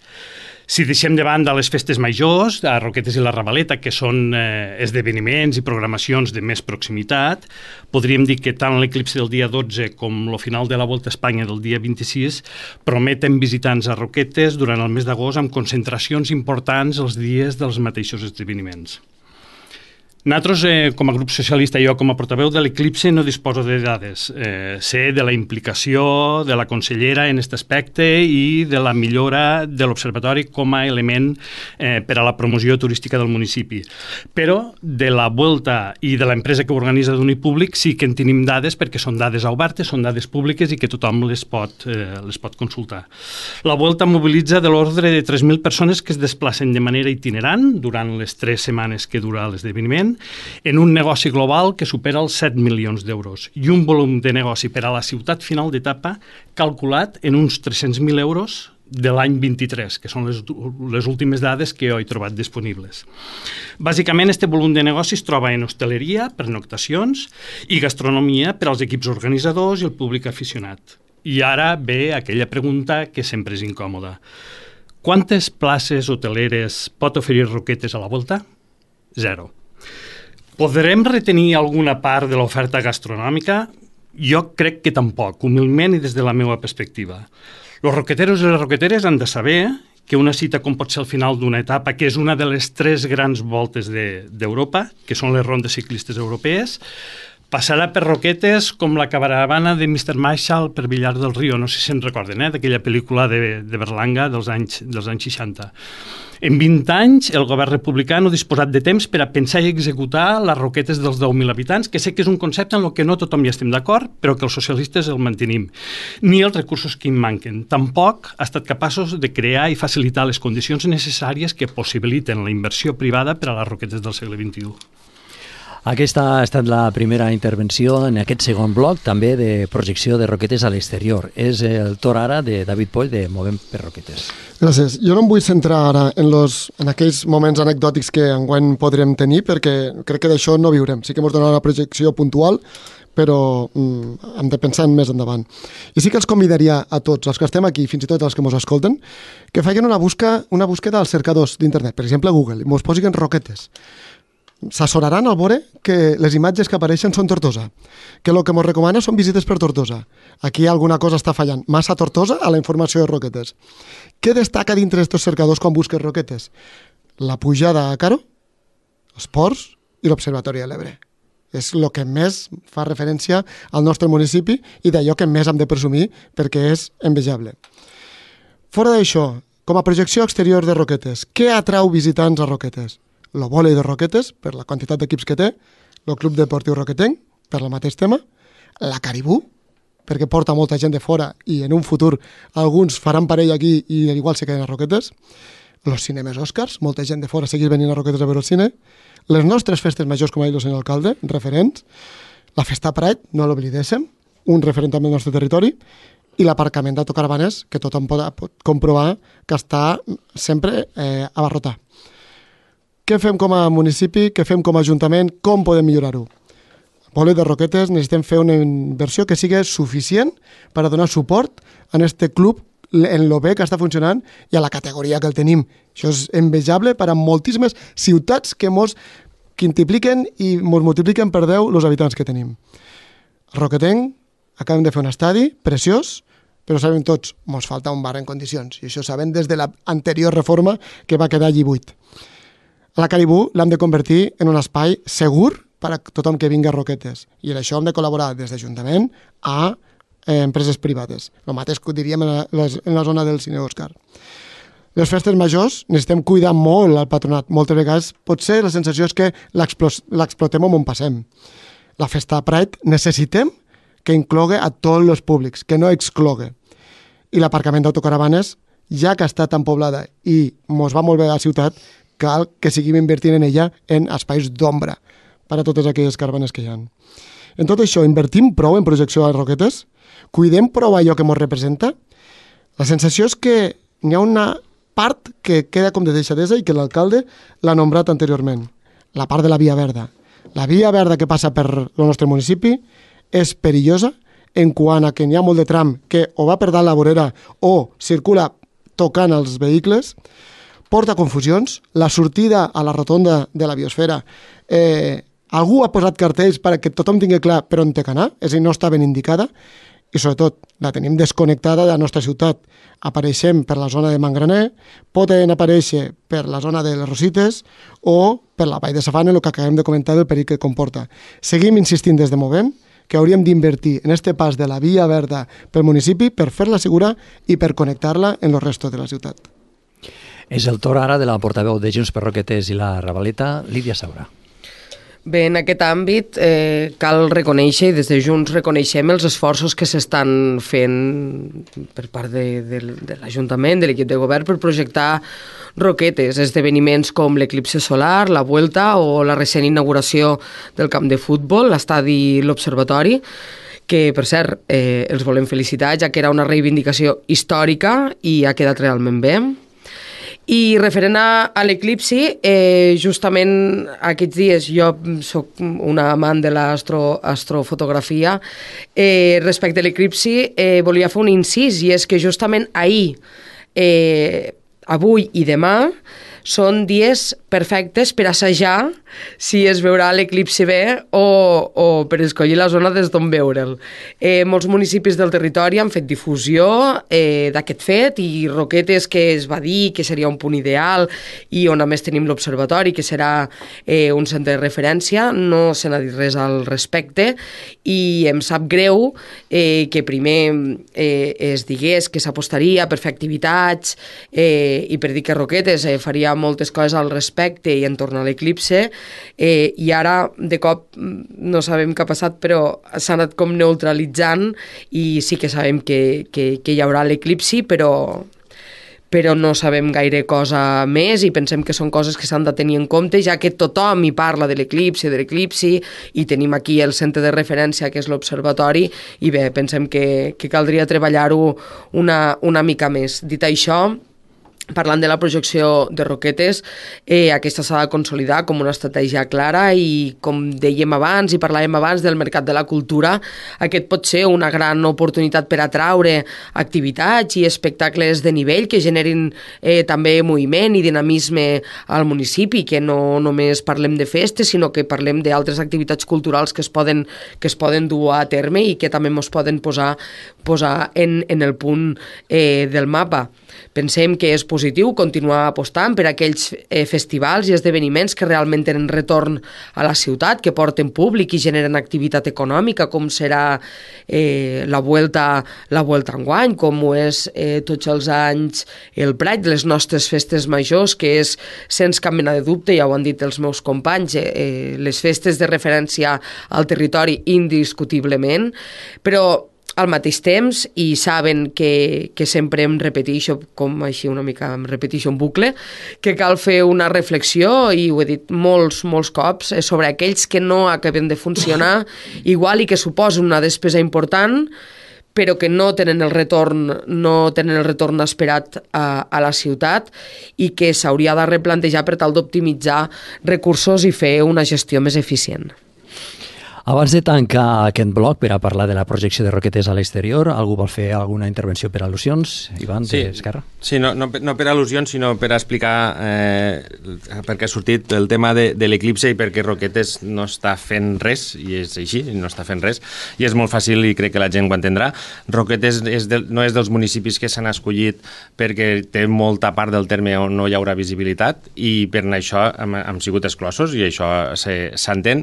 Si deixem de banda les festes majors, a Roquetes i la Ravaleta, que són esdeveniments i programacions de més proximitat, podríem dir que tant l'eclipsi del dia 12 com el final de la Volta a Espanya del dia 26 prometen visitants a Roquetes durant el mes d'agost amb concentracions importants els dies dels mateixos esdeveniments. Nosaltres, com a grup socialista i jo com a portaveu de l'Eclipse, no disposo de dades. Sé de la implicació de la consellera en aquest aspecte i de la millora de l'Observatori com a element per a la promoció turística del municipi. Però de la Volta i de l'empresa que ho organitza d'Unipúblic sí que en tenim dades perquè són dades obertes, són dades públiques i que tothom les pot consultar. La Volta mobilitza de l'ordre de 3.000 persones que es desplacen de manera itinerant durant les 3 setmanes que dura l'esdeveniment, en un negoci global que supera els 7 milions d'euros i un volum de negoci per a la ciutat final d'etapa calculat en uns 300.000 euros de l'any 23, que són les últimes dades que jo he trobat disponibles. Bàsicament, aquest volum de negoci es troba en hostaleria, pernoctacions i gastronomia per als equips organitzadors i el públic aficionat. I ara ve aquella pregunta que sempre és incòmoda. Quantes places hoteleres pot oferir Roquetes a la Volta? 0. Podrem retenir alguna part de l'oferta gastronòmica? Jo crec que tampoc, humilment i des de la meva perspectiva. Els roqueteros i les roqueteres han de saber que una cita com pot ser el final d'una etapa, que és una de les 3 grans voltes d'Europa, que són les rondes ciclistes europees, passarà per Roquetes com la caravana de Mr. Marshall per Villar del Rio, no sé si se'n recorden, d'aquella pel·lícula de Berlanga dels anys 60. En 20 anys, el govern republicà no ha disposat de temps per a pensar i executar les Roquetes dels 10.000 habitants, que sé que és un concepte en el que no tothom hi estem d'acord, però que els socialistes el mantenim. Ni els recursos que en manquen. Tampoc ha estat capaços de crear i facilitar les condicions necessàries que possibiliten la inversió privada per a les Roquetes del segle XXI. Aquesta ha estat la primera intervenció en aquest segon bloc, també de projecció de Roquetes a l'exterior. És el torn ara de David Poll de Movem per Roquetes. Gràcies. Jo no em vull centrar ara en aquells moments anecdòtics que enguany podrem tenir, perquè crec que d'això no viurem. Sí que ens donarà una projecció puntual, però hem de pensar en més endavant. I sí que els convidaria a tots, els que estem aquí, fins i tot els que ens escolten, que facin una búsqueda als cercadors d'internet, per exemple a Google, i ens posin Roquetes. S'assolaran al veure que les imatges que apareixen són Tortosa, que el que ens recomana són visites per Tortosa. Aquí alguna cosa està fallant. Massa Tortosa a la informació de Roquetes. Què destaca dintre d'aquests cercadors quan busques Roquetes? La pujada a Caro, els ports i l'Observatori de l'Ebre. És el que més fa referència al nostre municipi i d'allò que més hem de presumir perquè és envejable. Fora d'això, com a projecció exterior de Roquetes, què atrau visitants a Roquetes? El vòlei de Roquetes, per la quantitat d'equips que té, el Club Deportiu Roquetenc, per el mateix tema, la Caribú, perquè porta molta gent de fora i en un futur alguns faran parell aquí i igual se queden a Roquetes, els cinemes Oscars, molta gent de fora segueix venint a Roquetes a veure el cine, les nostres festes majors, com ha dit el senyor alcalde, referents, la Festa Pride, no l'oblidéssim, un referent també del nostre territori, i l'aparcament d'autocaravanes, que tothom pot comprovar que està sempre abarrotat. Què fem com a municipi, què fem com a ajuntament, com podem millorar-ho? Al vòlei de Roquetes necessitem fer una inversió que sigui suficient per a donar suport a aquest club en lo bé que està funcionant i a la categoria que el tenim. Això és envejable per a moltíssimes ciutats que ens quintupliquen i ens multipliquen per 10 els habitants que tenim. A Roquetenc acabem de fer un estadi preciós, però sabem tots, ens falta un bar en condicions, i això sabem des de l'anterior reforma que va quedar allí buit. La Caribú l'hem de convertir en un espai segur per a tothom que vingui a Roquetes. I en això hem de col·laborar des d'Ajuntament a empreses privades. El mateix que diríem en la zona del cine Òscar. Les festes majors necessitem cuidar molt el patronat. Moltes vegades potser la sensació és que l'explotem on passem. La Festa Pride necessitem que inclogui a tots els públics, que no exclogui. I l'aparcament d'autocaravanes, ja que està tan poblada i ens va molt bé a la ciutat, cal que seguim invertint en ella en espais d'ombra per a totes aquelles caravanes que hi ha. En tot això, invertim prou en projecció a les Roquetes? Cuidem prou allò que ens representa? La sensació és que n'hi ha una part que queda com de deixadesa i que l'alcalde l'ha nombrat anteriorment. La part de la Via Verda. La Via Verda que passa per el nostre municipi és perillosa, en quant a que n'hi ha molt de tram que o va per dalt la vorera o circula tocant els vehicles, porta confusions. La sortida a la rotonda de la biosfera, algú ha posat cartells perquè tothom tingui clar per on té que anar, és a dir, no està ben indicada, i sobretot la tenim desconnectada de la nostra ciutat. Apareixem per la zona de Mangraner, poden aparèixer per la zona de les Rosites o per la Vall de Safana, el que acabem de comentar del perill que comporta. Seguim insistint des de Movem que hauríem d'invertir en este pas de la via verda pel municipi per fer-la segura i per connectar-la en el resto de la ciutat. És el torn ara de la portaveu de Junts per Roquetes i la Ravaleta, Lídia Saura. Bé, en aquest àmbit cal reconèixer, i des de Junts reconeixem els esforços que s'estan fent per part de l'Ajuntament, de l'equip de govern, per projectar Roquetes, esdeveniments com l'eclipse solar, la Vuelta o la recent inauguració del camp de futbol, l'estadi L'Observatori, que, per cert, els volem felicitar, ja que era una reivindicació històrica i ha quedat realment bé. I referent a l'eclipsi, justament aquests dies jo soc una amant de l'astrofotografia, respecte a l'eclipsi volia fer un incís, i és que justament ahir, avui i demà són dies perfectes per assajar si es veurà l'eclipsi bé o per escollir la zona des d'on veure'l. Molts municipis del territori han fet difusió d'aquest fet, i Roquetes, que es va dir que seria un punt ideal i on a més tenim l'observatori, que serà un centre de referència, no se n'ha dit res al respecte, i em sap greu que primer es digués que s'apostaria per fer activitats i per dir que Roquetes faria moltes coses al respecte i entorn a l'eclipse, i ara de cop no sabem què ha passat, però s'ha anat com neutralitzant, i sí que sabem que hi haurà l'eclipsi, però no sabem gaire cosa més, i pensem que són coses que s'han de tenir en compte, ja que tothom hi parla de l'eclipsi, i tenim aquí el centre de referència, que és l'Observatori, i bé, pensem que caldria treballar-ho una mica més. Dit això, parlant de la projecció de Roquetes, aquesta s'ha de consolidar com una estratègia clara, i com dèiem abans i parlàvem abans del mercat de la cultura, aquest pot ser una gran oportunitat per atraure activitats i espectacles de nivell que generin també moviment i dinamisme al municipi, que no només parlem de festes, sinó que parlem d'altres activitats culturals que es poden dur a terme i que també ens poden posar en el punt del mapa. Pensem que és positiu continuar apostant per aquells festivals i esdeveniments que realment tenen retorn a la ciutat, que porten públic i generen activitat econòmica, com serà la Vuelta enguany, com ho és tots els anys el Pride, les nostres festes majors, que és, sense cap mena de dubte, ja ho han dit els meus companys, les festes de referència al territori indiscutiblement, però al mateix temps, i saben que sempre em repeteixo, com així una mica em repeteixo en bucle, que cal fer una reflexió, i ho he dit molts cops, sobre aquells que no acaben de funcionar, igual i que suposen una despesa important, però que no tenen el retorn esperat a la ciutat, i que s'hauria de replantejar per tal d'optimitzar recursos i fer una gestió més eficient. Abans de tancar aquest bloc per a parlar de la projecció de Roquetes a l'exterior, algú vol fer alguna intervenció per al·lusions? Ivan, d'Esquerra? Sí, no per al·lusions, sinó per explicar per què ha sortit el tema de l'eclipse i perquè Roquetes no està fent res, i és així, no està fent res, i és molt fàcil i crec que la gent ho entendrà. Roquetes no és dels municipis que s'han escollit perquè té molta part del terme on no hi haurà visibilitat, i per això hem sigut exclosos, i això s'entén,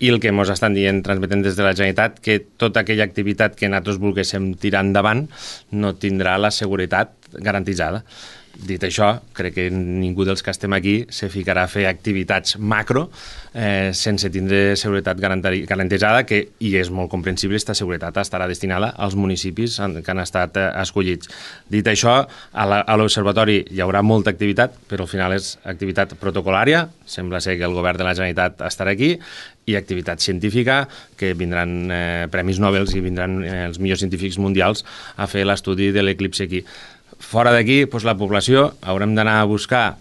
i el que ens estan dient, transmetent des de la Generalitat, que tota aquella activitat que nosaltres volguéssim tirar endavant no tindrà la seguretat garantitzada. Dit això, crec que ningú dels que estem aquí se ficarà a fer activitats macro sense tindre seguretat garantitzada, i és molt comprensible, aquesta seguretat estarà destinada als municipis que han estat escollits. Dit això, a l'Observatori hi haurà molta activitat, però al final és activitat protocolària, sembla ser que el govern de la Generalitat estarà aquí, i activitat científica, que vindran premis Nobel i vindran els millors científics mundials a fer l'estudi de l'eclipse aquí. Fora d'aquí, la població haurem d'anar a buscar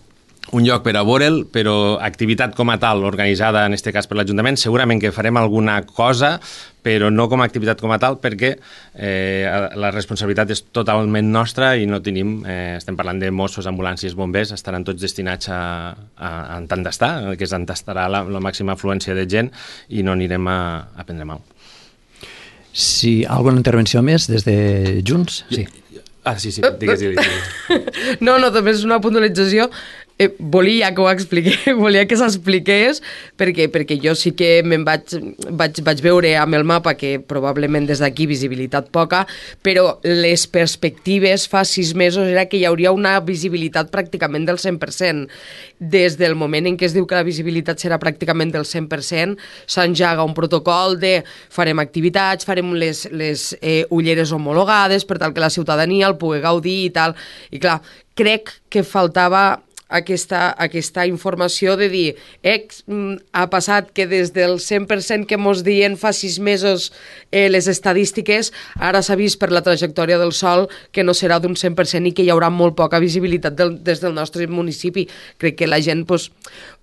un lloc per a veure'l, però activitat com a tal, organitzada en aquest cas per l'Ajuntament, segurament que farem alguna cosa, però no com a activitat com a tal, perquè la responsabilitat és totalment nostra i no tenim, estem parlant de Mossos, ambulàncies, bombers, estaran tots destinats a tant d'estar, que s'entastarà la màxima afluència de gent i no anirem a prendre mal. Si alguna intervenció més des de Junts? Sí. Sí, digues. No, també és una puntualització. Volia que ho expliqués, volia que s'expliqués, perquè jo sí que me'n vaig veure amb el mapa que probablement des d'aquí visibilitat poca, però les perspectives fa 6 mesos era que hi hauria una visibilitat pràcticament del 100%. Des del moment en què es diu que la visibilitat serà pràcticament del 100%, s'enjaga un protocol de farem activitats, farem les ulleres homologades per tal que la ciutadania el pugui gaudir i tal. I clar, crec que faltava aquesta informació de dir ha passat que des del 100% que mos diuen fa 6 mesos les estadístiques, ara s'ha vist per la trajectòria del sol que no serà d'un 100% i que hi haurà molt poca visibilitat des del nostre municipi. Crec que la gent,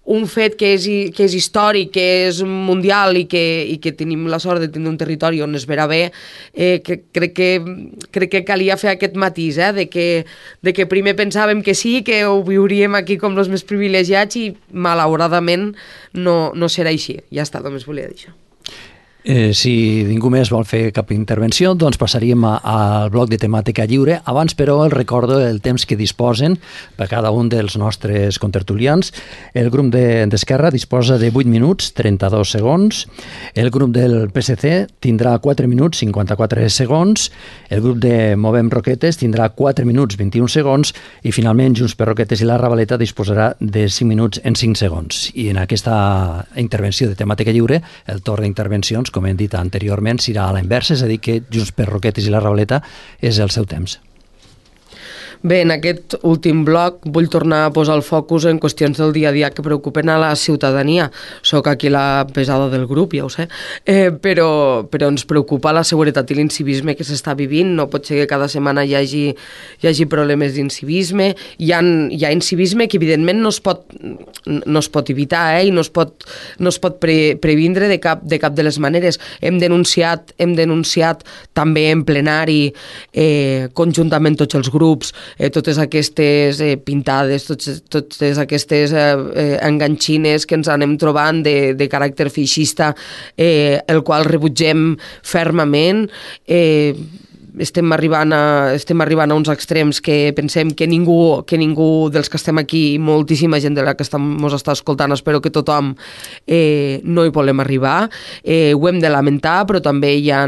un fet que és històric, que és mundial i que tenim la sort de tenir un territori on es verà bé, crec que calia fer aquest matís, de que primer pensàvem que sí, que ho viuríem aquí com els més privilegiats i malauradament no serà així. Ja està, només volia dir això. Si ningú més vol fer cap intervenció, doncs passaríem al bloc de temàtica lliure. Abans, però, el recordo el temps que disposen per cada un dels nostres contertulians. El grup d'Esquerra disposa de 8 minuts, 32 segons. El grup del PSC tindrà 4 minuts, 54 segons. El grup de Movem Roquetes tindrà 4 minuts, 21 segons. I, finalment, Junts per Roquetes i la Ravaleta disposarà de 5 minuts en 5 segons. I en aquesta intervenció de temàtica lliure, el torn d'intervencions, com hem dit anteriorment, serà a la inversa, és a dir, que Junts per Roquetes i la Ravaleta és el seu temps. Bé, en aquest últim bloc vull tornar a posar el focus en qüestions del dia a dia que preocupen a la ciutadania. Soc aquí la pesada del grup, ja ho sé, però ens preocupa la seguretat i l'incivisme que s'està vivint. No pot ser que cada setmana hi hagi problemes d'incivisme. Hi ha incivisme que evidentment no es pot evitar i no es pot previndre de cap de les maneres. Hem denunciat també en plenari conjuntament tots els grups totes aquestes pintades, totes aquestes enganxines que ens anem trobant de caràcter feixista, el qual rebutgem fermament. Estem arribant a uns extrems que pensem que ningú dels que estem aquí, moltíssima gent de la que ens està escoltant, espero que tothom no hi volem arribar. Ho hem de lamentar, però també hi ha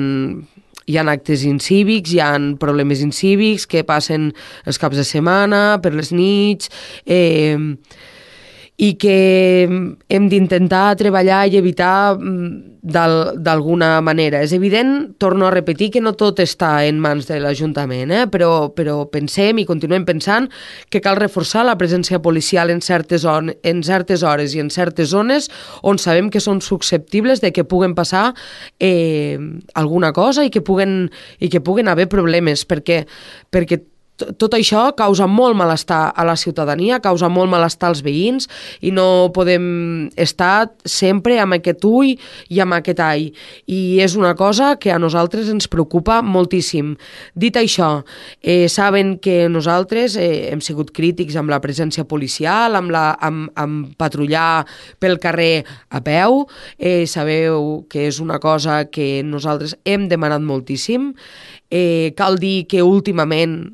actes incívics, hi ha problemes incívics que passen els caps de setmana, per les nits, i que hem d'intentar treballar i evitar d'alguna manera. És evident, torno a repetir, que no tot està en mans de l'Ajuntament, però pensem i continuem pensant que cal reforçar la presència policial en certes hores i en certes zones on sabem que són susceptibles de que puguen passar alguna cosa i que puguen haver problemes, perquè tot això causa molt malestar a la ciutadania, causa molt malestar als veïns i no podem estar sempre amb aquest ull i amb aquest all. I és una cosa que a nosaltres ens preocupa moltíssim. Dit això, saben que nosaltres hem sigut crítics amb la presència policial, amb patrullar pel carrer a peu. Sabeu que és una cosa que nosaltres hem demanat moltíssim. Cal dir que últimament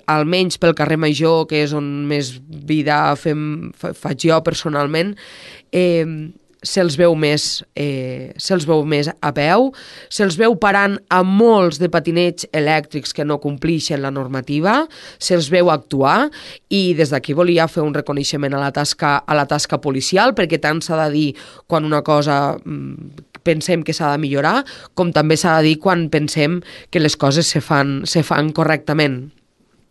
almenys pel carrer Major, que és on més vida faig jo personalment, se'ls veu més a peu, se'ls veu parant a molts de patinets elèctrics que no complixen la normativa, se'ls veu actuar, i des d'aquí volia fer un reconeixement a la tasca policial, perquè tant s'ha de dir quan una cosa pensem que s'ha de millorar, com també s'ha de dir quan pensem que les coses se fan correctament.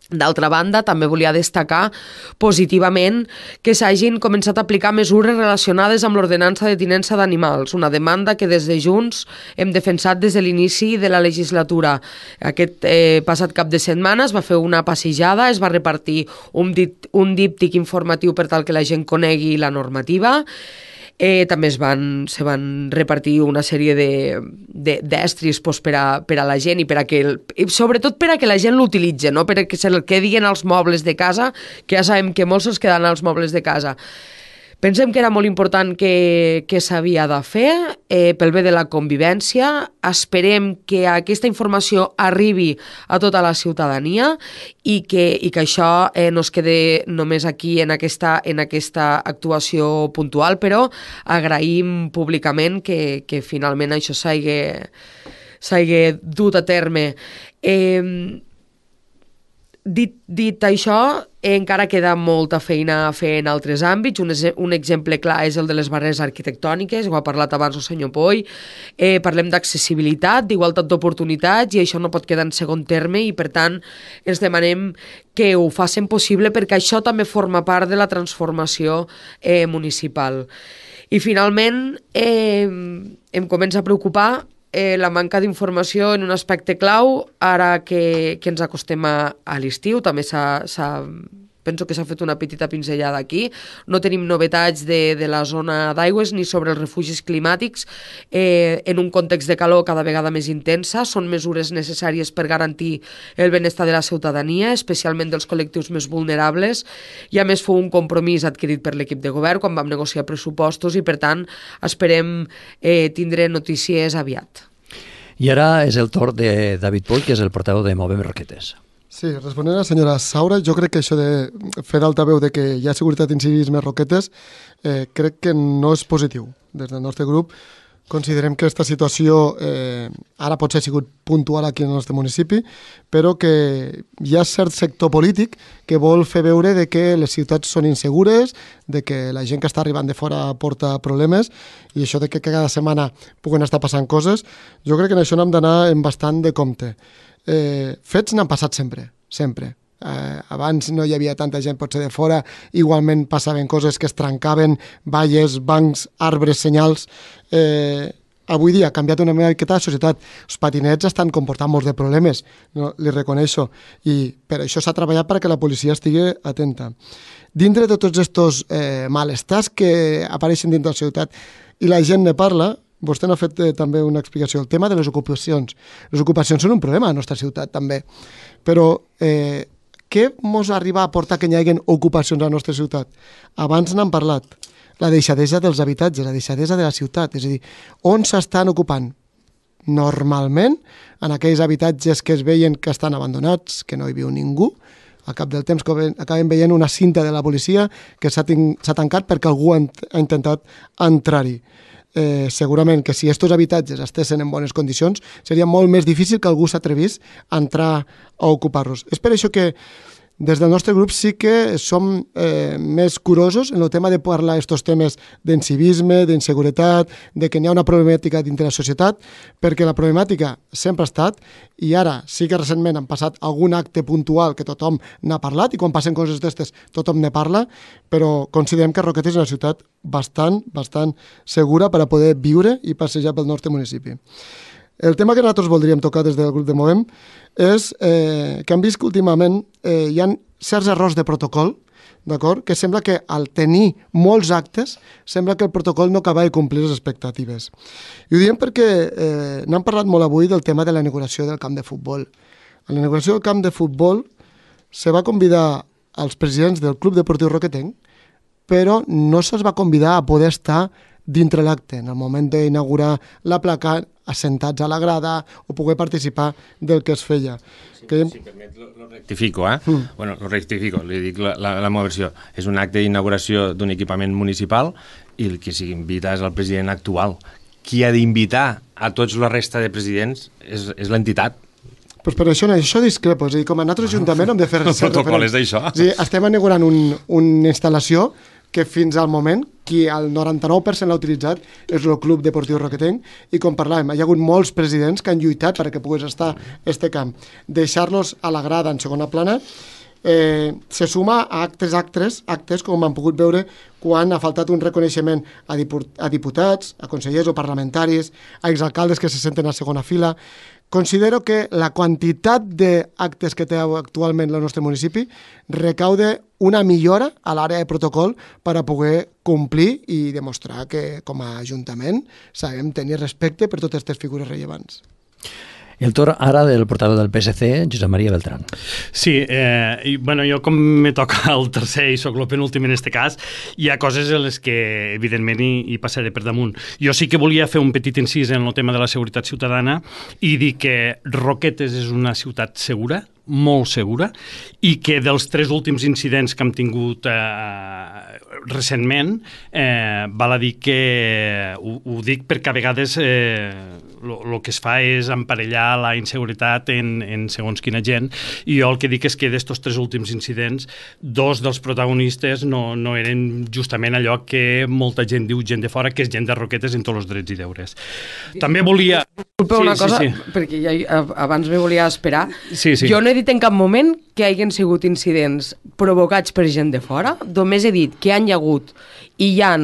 D'altra banda, també volia destacar positivament que s'hagin començat a aplicar mesures relacionades amb l'ordenança de tinença d'animals, una demanda que des de Junts hem defensat des de l'inici de la legislatura. Aquest passat cap de setmana es va fer una passejada, es va repartir un díptic informatiu per tal que la gent conegui la normativa. També se van repartir una sèrie d'estris per a la gent i sobretot per a que la gent l'utilitzi, no? Per a que se'l quedin als mobles de casa, que ja sabem que molts se'ls queden als mobles de casa. Pensem que era molt important que s'havia de fer pel bé de la convivència. Esperem que aquesta informació arribi a tota la ciutadania i que això no es quede només aquí en aquesta actuació puntual, però agraïm públicament que finalment això s'hagi dut a terme. Dit això, encara queda molta feina a fer en altres àmbits. Un exemple clar és el de les barreres arquitectòniques, ho ha parlat abans el senyor Poy. Parlem d'accessibilitat, d'igualtat d'oportunitats, i això no pot quedar en segon terme, i per tant els demanem que ho facin possible perquè això també forma part de la transformació municipal. I finalment em comença a preocupar la manca d'informació en un aspecte clau ara que ens acostem a l'estiu. També penso que s'ha fet una petita pinzellada aquí. No tenim novetats de la zona d'aigües ni sobre els refugis climàtics en un context de calor cada vegada més intensa. Són mesures necessàries per garantir el benestar de la ciutadania, especialment dels col·lectius més vulnerables, i a més fou un compromís adquirit per l'equip de govern quan vam negociar pressupostos i per tant esperem tindre notícies aviat. I ara és el torn de David Poy, que és el portaveu de Movem Roquetes. Sí, responent a la senyora Saura, jo crec que això de fer d'altaveu de que hi ha seguretat i civisme Roquetes crec que no és positiu. Des del nostre grup considerem que aquesta situació ara potser ha sigut puntual aquí en el nostre municipi, però que hi ha cert sector polític que vol fer veure de que les ciutats són insegures, de que la gent que està arribant de fora porta problemes, i això de que cada setmana puguen estar passant coses, jo crec que en això n'hem d'anar amb bastant de compte. Fets n'han passat sempre. Abans no hi havia tanta gent potser de fora, igualment passaven coses que es trencaven, valles, bancs, arbres, senyals. Avui dia ha canviat una miqueta la societat. Els patinets estan comportant molts de problemes, no, li reconeixo, i per això s'ha treballat perquè la policia estigui atenta. Dintre de tots aquests malestars que apareixen dintre de la ciutat i la gent ne parla, vostè n'ha fet també una explicació. El tema de les ocupacions. Les ocupacions són un problema a la nostra ciutat, també. Però què ens arriba a portar que hi hagi ocupacions a la nostra ciutat? Abans n'han parlat. La deixadesa dels habitatges, la deixadesa de la ciutat. És a dir, on s'estan ocupant? Normalment, en aquells habitatges que es veien que estan abandonats, que no hi viu ningú, al cap del temps acabem veient una cinta de la policia que s'ha tancat perquè algú ha intentat entrar-hi. Segurament que si aquests habitatges estessin en bones condicions seria molt més difícil que algú s'atrevís a entrar a ocupar-los. És per això que des del nostre grup sí que som més curosos en el tema de parlar d'aquests temes d'incivisme, d'inseguretat, de que n'hi ha una problemàtica dintre la societat, perquè la problemàtica sempre ha estat, i ara sí que recentment han passat algun acte puntual que tothom n'ha parlat, i quan passen coses d'aquestes tothom ne parla, però considerem que Roquetes és una ciutat bastant segura per a poder viure i passejar pel nostre municipi. El tema que nosaltres voldríem tocar des del grup de Movem és que hem vist que últimament hi ha certs errors de protocol, d'acord? Que sembla que al tenir molts actes, sembla que el protocol no acaba de complir les expectatives. I ho diem perquè n'hem parlat molt avui del tema de la inauguració del camp de futbol. A la inauguració del camp de futbol se va convidar als presidents del Club Deportiu Roquetenc, però no se'ls va convidar a poder estar dintre l'acte, en el moment d'inaugurar la placa, assentats a la grada o poder participar del que es feia. Si permet, lo rectifico, Bueno, lo rectifico, li dic la meva versió. És un acte d'inauguració d'un equipament municipal i el que s'invita és el president actual. Qui ha d'invitar a tots la resta de presidents és l'entitat. Pues per això discrepo. És a dir, com a nosaltres ajuntament hem de fer... El protocol és d'això. Estem inaugurant una instal·lació que fins al moment, qui el 99% l'ha utilitzat és el Club Deportiu Roquetenc, i com parlàvem, hi ha hagut molts presidents que han lluitat perquè pogués estar este camp. Deixar-los a la grada en segona plana se suma a actes com han pogut veure quan ha faltat un reconeixement a diputats, a consellers o parlamentaris, a exalcaldes que se senten a segona fila. Considero que la quantitat d'actes que té actualment el nostre municipi recaude una millora a l'àrea de protocol per a poder complir i demostrar que com a Ajuntament sabem tenir respecte per totes aquestes figures rellevants. El torn ara del portaveu del PSC, Josep Maria Beltrán. Sí, jo com me toca el tercer i soc el penúltim en este cas, hi ha coses en les que evidentment hi passaré per damunt. Jo sí que volia fer un petit incís en el tema de la seguretat ciutadana i dir que Roquetes és una ciutat segura, molt segura, i que dels 3 últims incidents que hem tingut recentment, val a dir que ho dic perquè a vegades el que es fa és emparellar la inseguretat en segons quina gent, i jo el que dic és que d'estos 3 últims incidents, 2 dels protagonistes no eren justament allò que molta gent diu gent de fora, que és gent de Roquetes en tots els drets i deures. També volia... Disculpa una cosa, perquè ja abans me volia esperar. Sí. Jo no he dit en cap moment que hagin sigut incidents provocats per gent de fora, només he dit que hi ha hagut i hi ha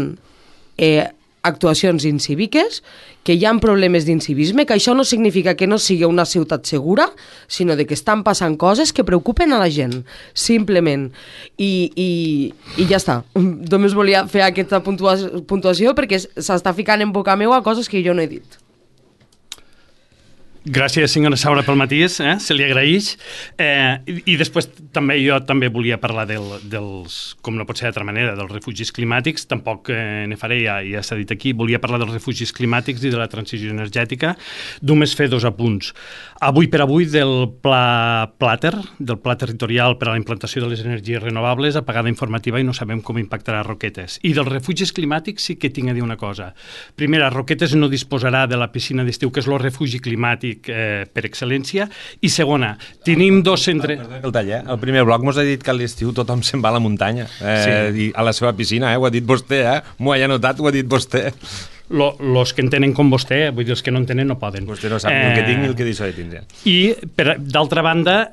actuacions incíviques, que hi ha problemes d'incivisme, que això no significa que no sigui una ciutat segura, sinó de que estan passant coses que preocupen a la gent, simplement. I ja està. Només volia fer aquesta puntuació perquè s'està ficant en boca meva coses que jo no he dit. Gràcies, senyora Saura, pel matís, se li agraeix. I després jo també volia parlar dels, com no pot ser d'altra manera, dels refugis climàtics. Tampoc ne faré, ja s'ha dit aquí. Volia parlar dels refugis climàtics i de la transició energètica. Només fer 2 apunts. Avui per avui del pla Plater, del pla territorial per a la implantació de les energies renovables, apagada informativa i no sabem com impactarà Roquetes. I dels refugis climàtics sí que tinc a dir una cosa. Primera, Roquetes no disposarà de la piscina d'estiu, que és el refugi climàtic per excel·lència, i segona, tenim 2 centres... El tall, el primer bloc mos ha dit que a l'estiu tothom se'n va a la muntanya, i a la seva piscina, ho ha dit vostè, m'ho ha notat, ho ha dit vostè. Los que entenen com vostè, vull dir, els que no entenen no poden. Vostè no sap ni el que tinc ni el que deixo de tindre. I, d'altra banda,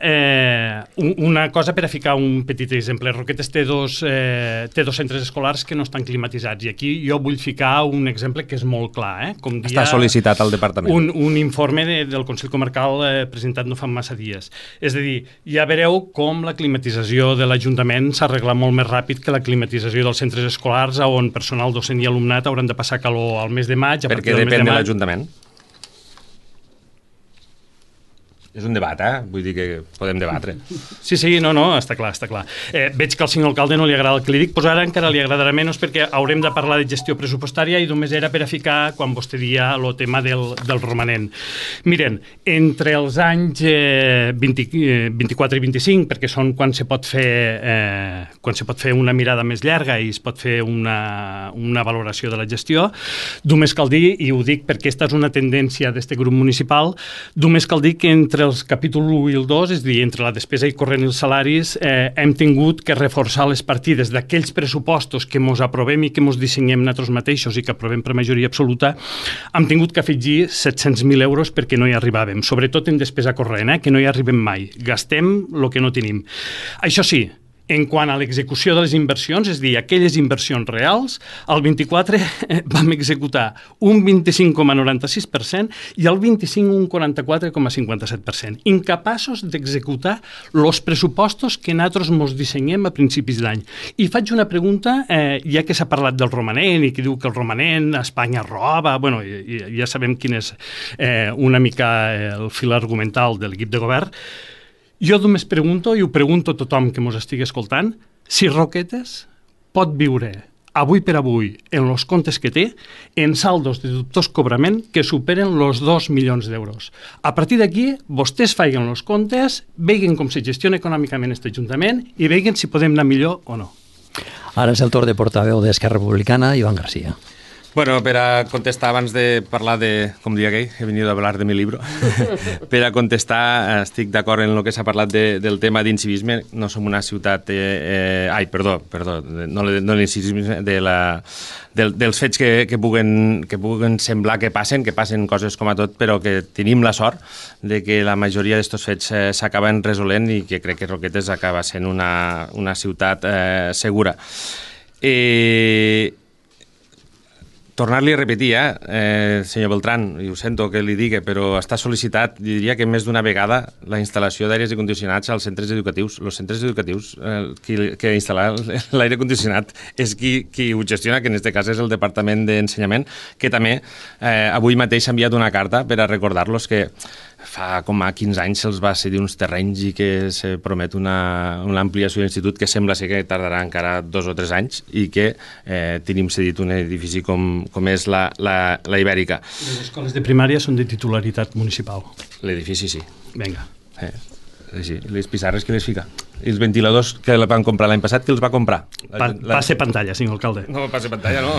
una cosa per a ficar un petit exemple. Roquetes té dos centres escolars que no estan climatitzats, i aquí jo vull ficar un exemple que és molt clar. Com dia, està sol·licitat al departament. Un informe del Consell Comarcal presentat no fa massa dies. És a dir, ja veureu com la climatització de l'Ajuntament s'arregla molt més ràpid que la climatització dels centres escolars, on personal docent i alumnat hauran de passar calor al mes de maig. Perquè depèn de l'Ajuntament. És un debat, vull dir que podem debatre. Sí, no, està clar. Veig que al senyor alcalde no li agrada el que li dic, doncs ara encara li agradarà menys perquè haurem de parlar de gestió pressupostària i només era per a ficar, quan vostè dia, el tema del romanent. Miren, entre els anys 24 i 25, perquè són quan se pot fer una mirada més llarga i es pot fer una valoració de la gestió, només cal dir, i ho dic perquè aquesta és una tendència d'aquest grup municipal, només cal dir que entre els capítols 1 i el 2, és a dir, entre la despesa i corrent i els salaris, hem tingut que reforçar les partides d'aquells pressupostos que mos aprovem i que mos dissenyem nosaltres mateixos i que aprovem per majoria absoluta, hem tingut que afegir 700.000 euros perquè no hi arribàvem, sobretot en despesa corrent, que no hi arribem mai. Gastem el que no tenim. Això sí, en quant a l'execució de les inversions, és a dir, aquelles inversions reals, el 24 vam executar un 25,96% i el 25 un 44,57%. Incapaços d'executar els pressupostos que nosaltres ens dissenyem a principis d'any. I faig una pregunta, ja que s'ha parlat del romanent i que diu que el romanent a Espanya roba, bueno, ja sabem quin és una mica el fil argumental de l'equip de govern. Jo només pregunto, i ho pregunto a tothom que ens estigui escoltant, si Roquetes pot viure avui per avui en els comptes que té en saldos de dubtós cobrament que superen els 2 milions d'euros. A partir d'aquí, vostès facin els comptes, vegin com se gestiona econòmicament aquest Ajuntament i vegin si podem anar millor o no. Ara és el torn de portaveu d'Esquerra Republicana, Ivan Garcia. Bueno, per a contestar, abans de parlar de, com diria aquell, he venido a hablar de mi libro, per a contestar, estic d'acord en el que s'ha parlat del tema d'incivisme. No som una ciutat... no l'incivisme, dels fets que puguen semblar que passen coses com a tot, però que tenim la sort de que la majoria d'estos fets s'acaben resolent i que crec que Roquetes acaba sent una ciutat segura. Tornar-li a repetir, senyor Beltrán, i ho sento que li digui, però està sol·licitat, diria que més d'una vegada, la instal·lació d'aires condicionats als centres educatius. Els centres educatius, que instal·lar l'aire condicionat és qui ho gestiona, que en aquest cas és el Departament d'Ensenyament, que també avui mateix s'ha enviat una carta per a recordar-los que fa com a 15 anys se'ls va cedir uns terrenys i que se promet una ampliació de l'institut que sembla ser que tardarà encara 2 o 3 anys i que tenim cedit un edifici com és la Ibèrica. Les escoles de primària són de titularitat municipal. L'edifici sí. Vinga. Sí, les pissarres que les fica. I els ventiladors que van comprar l'any passat, qui els va comprar? Passe pantalla, senyor alcalde. No, passe pantalla no.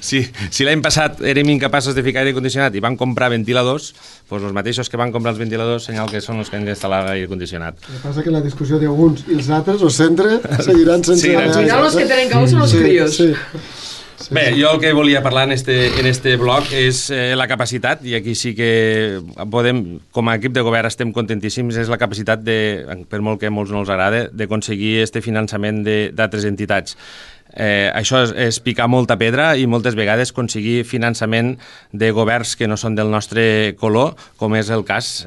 Si l'any passat érem incapaços de ficar aire condicionat i van comprar ventiladors, doncs els mateixos que van comprar els ventiladors senyal que són els que han d'instal·lar l'aire condicionat. El que passa que la discussió d'uns i els altres, o centre, seguiran sense... Al final els que tenen cau són els crios. Sí. Bé, jo el que volia parlar en este bloc és la capacitat, i aquí sí que podem, com a equip de govern estem contentíssims, és la capacitat, per molt que a molts no els agrada, d'aconseguir este finançament d'altres entitats. Això és picar molta pedra i moltes vegades aconseguir finançament de governs que no són del nostre color, com és el cas,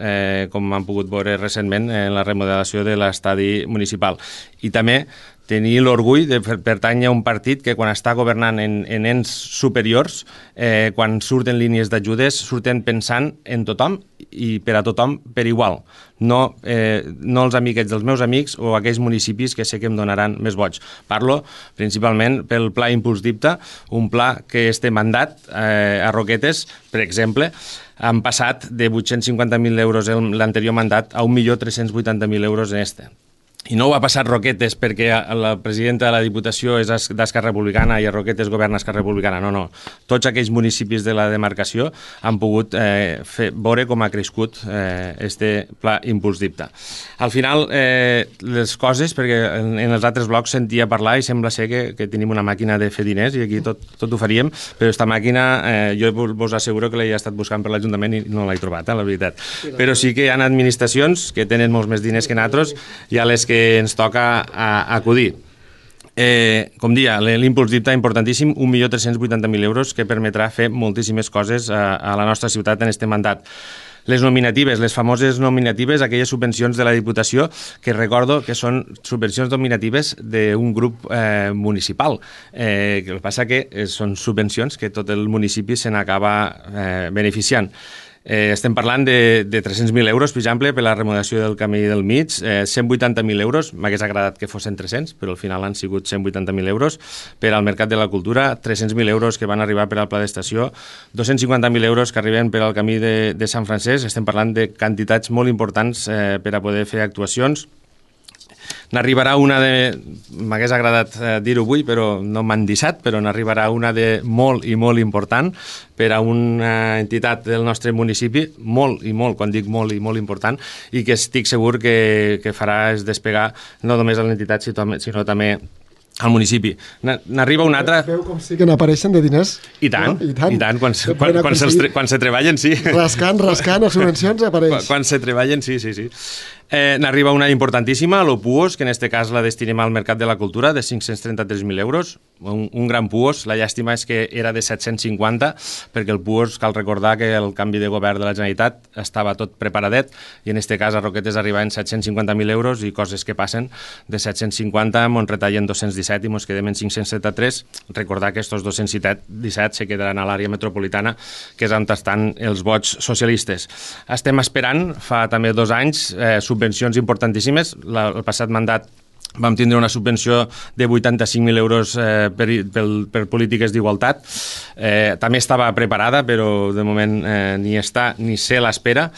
com han pogut veure recentment, en la remodelació de l'estadi municipal. I també tenir l'orgull de pertànyer a un partit que quan està governant en ens superiors, quan surten línies d'ajudes, surten pensant en tothom i per a tothom per igual. No els amiguets dels meus amics o aquells municipis que sé que em donaran més vots. Parlo principalment pel Pla Impuls d'Ipta, un pla que este mandat a Roquetes, per exemple, han passat de 850.000 euros l'anterior mandat a 1.380.000 euros en este. I no ho ha passat Roquetes perquè la presidenta de la Diputació és d'Esquerra Republicana i a Roquetes governa Esquerra Republicana. No. Tots aquells municipis de la demarcació han pogut veure com ha crescut este Pla Impuls d'Ipta. Al final, les coses, perquè en els altres blocs sentia parlar i sembla ser que tenim una màquina de fer diners i aquí tot ho faríem, però aquesta màquina jo vos asseguro que l'he estat buscant per l'Ajuntament i no l'he trobat, la veritat. Però sí que hi ha administracions que tenen molts més diners que nosaltres i a les que ens toca acudir. Com dia, l'impuls d'Ipta importantíssim, 1.380.000 euros que permetrà fer moltíssimes coses a la nostra ciutat en aquest mandat. Les nominatives, les famoses nominatives, aquelles subvencions de la Diputació, que recordo que són subvencions nominatives d'un grup municipal. El que passa que són subvencions que tot el municipi se n'acaba beneficiant. Estem parlant de 300.000 euros, per exemple, per la remodelació del camí del mig, 180.000 euros, m'hagués agradat que fossin 300, però al final han sigut 180.000 euros, per al Mercat de la Cultura, 300.000 euros que van arribar per al Pla d'Estació, 250.000 euros que arriben per al camí de Sant Francesc. Estem parlant de quantitats molt importants per a poder fer actuacions. N'arribarà una de... M'hagués agradat dir-ho avui, però no m'han deixat, però n'arribarà una de molt i molt important per a una entitat del nostre municipi, molt i molt, quan dic molt i molt important, i que estic segur que farà és despegar no només a l'entitat, sinó també al municipi. N'arriba una altra... Veu com sí que n'apareixen de diners? I tant, quan se treballen, sí. Rascant, les subvencions apareix. Quan se treballen, sí. N'arriba una importantíssima, l'OPUOS, que en aquest cas la destinem al Mercat de la Cultura, de 533.000 euros, un gran PUOS. La llàstima és que era de 750, perquè el PUOS, cal recordar que el canvi de govern de la Generalitat estava tot preparadet, i en aquest cas a Roquetes arribaven 750.000 euros i coses que passen de 750, mos retallen 217 i mos quedem en 573. Recordar que aquests 217 se quedaran a l'àrea metropolitana, que és on estan els vots socialistes. Estem esperant, fa també 2 anys, subvencions importantíssimes. El passat mandat vam tindre una subvenció de 85.000 euros per polítiques d'igualtat. També estava preparada, però de moment ni està ni se l'espera.